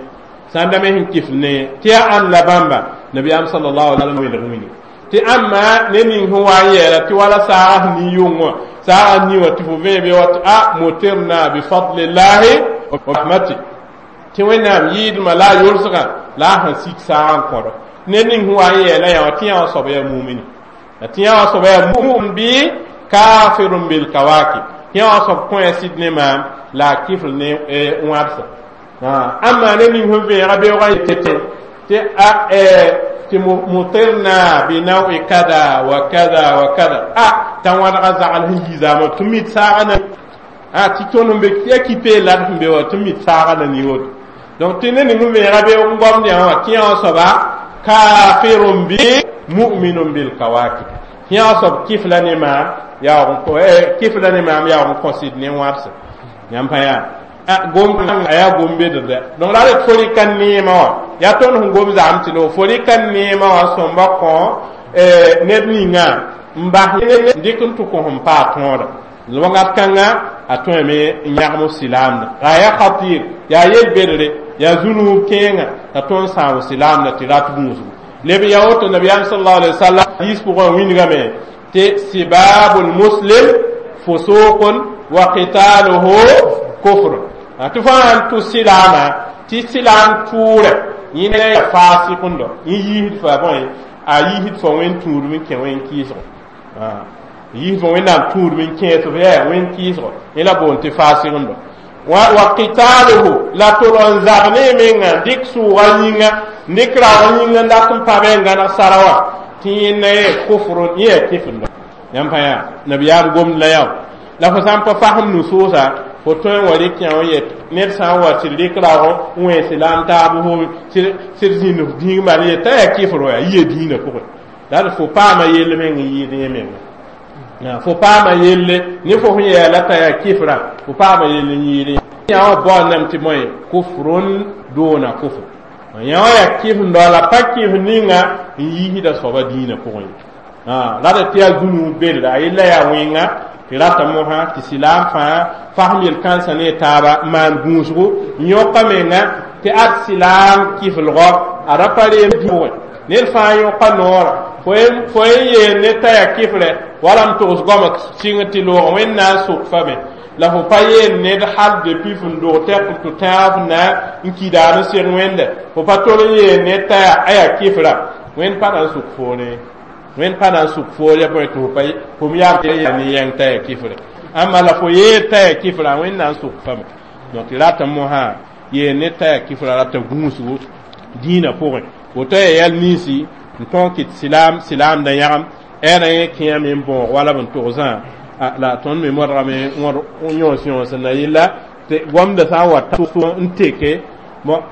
[SPEAKER 1] sãn da me sẽn kifl ne yẽ tɩ yaa ãnd la bãmba nabiyaam sallallahu alaihi wa sallam wẽneg tɩ ãmma ne ning sẽn wa n yɛɛla tɩ wala saagã sẽn ni yʋng wã saagã ni wã tɩ fo vẽebe wa tɩ a mutirna bifadlillahi wa rahmati tɩ Wẽnnaam yɩɩdmã la a yolsgã la a sẽn sik saagã n kõdo ne ning sẽn wa n yɛɛla yã wã tɩ yã wã soaba yaa mumini la tɩ yã wã soaba yaa mumin bɩ kafirun bil kawakib tɩ yã wã soab kõ ya sɩd ne maam la a kifl ne wãbsa. Ãmma ne ning sẽn vẽega beoogã tɩ tɩ a tɩ mutirna bi nawi kada wa kada wa kada a t'a wãdga zagl sẽn yi zaamã tɩ mit saagã na a tɩ tõnd sẽn be ya kipe lad sẽn be wã tɩ mit saagã na ni woto. Donc tɩ ne ning sẽn vẽega beoog n gomd yã wã tɩ yã wã soaba kafirun bi mu'minun bil kawakib tɩ yã wã soab kifla ne maam yaoog kifla ne maam yaoog n kõ sɩd ne wãbsa yãmb pa yaa gom a yaa gom bedrdɛ. Donc la d fo rɩka neemã wã yaa tõnd sẽn gom zagm tɩ lo fo rɩka neemã wã sõmba kõ ned ninga n bas n dɩk n tʋ kõ sẽn paa tõoda wakat kãnga a tõeme n yãgem f silaamda la yaa khatir yaa yel-bedre yaa zũnuub kẽenga t'a tõnd sãam silaamda tɩ rat gũusgu leb ya woto nabiyaam sallallahu alaihi wasallam hadis pʋgã wingame tɩ sibabul muslim fusuqun wa qitaluhu kufr tɩ fãa n tʋ silaama tɩ silaam tʋʋrɛ yẽ ya faasɩkẽndo yẽ yiisd fa bõe a yiisd fa wẽn tũudem n kẽ wẽn kɩɩsgo yiisd fa Wẽnnaam tũudem n kẽes f yaa wẽn kɩɩsgo yẽ la boond tɩ faasɩkẽndo wa qitaluhu la tol n zab ne menga dɩk sʋʋga yĩnga n dɩk raoog yĩnga n dat n pãbe n gãneg sara wã tɩ yẽnda ye kufr yẽ yaa kɩfendo yãmb pa yaa nabiyaam gomd la yao la fo sã n pa fasem nusoosã fo tõe n wa rɩk yã wã yet ned sã n wa tɩ d rɩk raoog n wẽes silaam taab fo tɩ d zĩnd f dĩig mal ye t'a yaa kɩfr wa yaa yia dĩinã pʋgẽ la d fo paama yell meng n yɩɩd yẽ menga fo paama yelle ne fo sẽn yɛɛla t'a yaa kɩfrã fo paama yell n yɩɩd yã wã baoondame tɩ bõe kufrun duna kufr yã wã yaa kɩfendɔ la pa kɩf ninga n yiisda soaba dĩinã pʋgẽ ye la d tɩ yaa zũnuub bedra a yella yaa wẽnga tɩ rata mosã tɩ silaam fãa fasem yel-kãnsã ne taaba n maan gũusgo n yõka menga tɩ ad silaam kɩflgɔ a ra pa reem pʋgẽ ned fãa yõka noora fo n yeel ne t'a yaa kɩfrɛ wala m togs goama sɩng tɩ loogã Wẽnd na n sʋk fame la fo pa yeel ned hal depuis fn dog tɛk tɩ tãag f na n kidaad n seg Wẽnde fo pa tol n yeel ned t'a yaa a yaa kɩfra Wẽnd pa na n sʋk foore Wẽnd pa na n sʋk foor ya bõe tɩ fo pa fo m yaa ne yãng t'a yaa kɩfrɛ ãmba la fo yeel t'a yaa kɩfra Wẽnd na n sʋk fame. Donc tɩ rata mosã yeel ned t'a yaa kɩfra rata gũusgo dĩinã pʋgẽ. Woto yaa yɛl ninsi n tõog kɩt sɩlaam sɩlaamdã yãgem ɛɛrã yẽ kẽame n bõog wala b n togsã la tõnd me modgame n yõos yõos n na yɩlla tɩ gomdã sã n wa n teke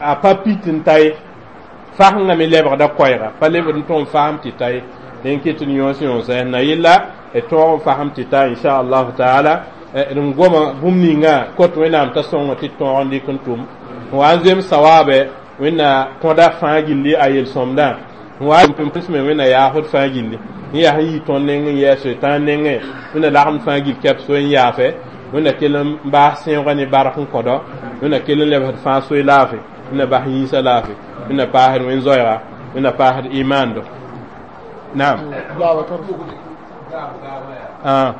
[SPEAKER 1] a pa pit n ta ye fasengã me lebgda koɛɛga pa lebd n tõog n fasem tɩ ta ye n kɩt n yõos yõosa na yɩlla d tõog n fasem tɩ ta inchallahu taala d goma bũmb ninga kot Wẽnnaam t'a sõngo tɩ tõog n dɩk n tʋm n wa n zems sawaabɛ Wẽnna kõda fãa gilli a yel-sõmdã n wa n me Wẽnna yaafd fãa gilli n yaa sẽn yi tõnd neng n yɛɛ soetãan nengẽ Wẽnna lagem fãa gill kɛp soe n yaafe Wẽnna kell n baas sẽoogã ne bark n kõdɔ Wẽnna kell n lebsd fãa soe laafɩ Wẽnna bas yĩnsã laafɩ Wẽnna paasd wẽn-zoɛɛga Wẽnna paasd imaando naam ah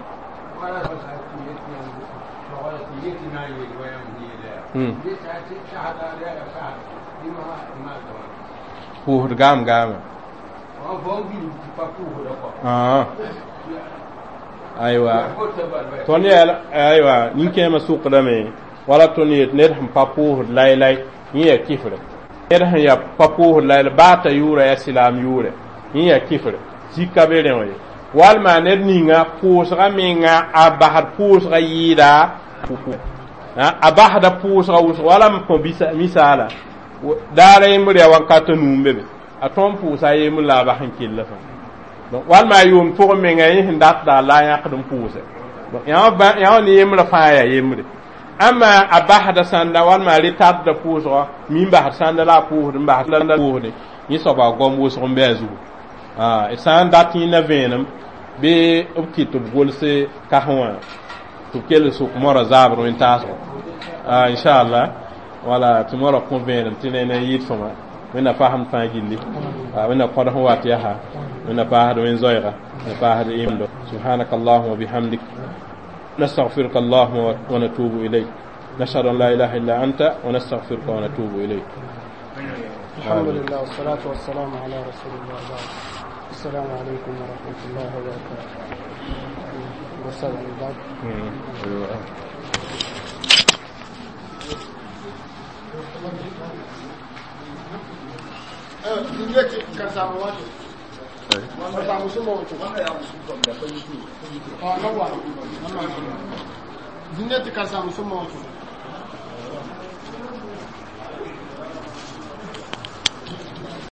[SPEAKER 1] pʋʋsd gaam gaame aywa tõnd yaa aywa nin-kẽemã sʋkdame wala tõnd yet ned sẽn pa pʋʋsd laylay yẽ yaa kifre ned sẽn yaa pa pʋʋsd laylay baa t'a yʋʋra yaa sɩlaam yʋʋrɛ yẽ yaa kifre zika be rẽ wã ye walma ned ninga pʋʋsga menga a basd pʋʋsga yɩɩda a basda pʋʋsga wʋsg wala m kõ misaala daara yembr yaa wakat nuu n be be a tõnd pʋʋsa a yembr la a bas n kell fãa donc walma a yʋʋm pʋgẽ menga yẽ sẽn datda la a yãkd n pʋʋsɛ donc yã ne yembrã fãa yaa yembre ãmma a basda sãnda walma a retardda pʋʋsgɔ mi n basd sãnda la a pʋʋsd n basd pʋʋsde yẽ soaba a goam wʋsg n bɩ a zugu d sã n dat yẽnda vẽenem bɩ b kɩt tɩ b golse kasẽ wã tɩ b kell sʋk moarã zaabr wẽn-taasgo inchallah wala tɩ moarã kõ vẽenem tɩ ne ne yɩɩd sõma Wẽnna fasem fãa gilli Wẽnna kõd sẽn wat yaa Wẽnna paasd wẽn-zoɛɛga Wẽnna paasd imdo subhanaka allahuma bihamdik نستغفرك اللهم ونتوب إليك نشهد أن لا إله إلا أنت ونستغفرك ونتوب إليك
[SPEAKER 2] الحمد لله والصلاة والسلام على رسول الله بعد السلام عليكم ورحمة الله وبركاته والسلام بعد
[SPEAKER 3] Zineti ka samu sun mawato.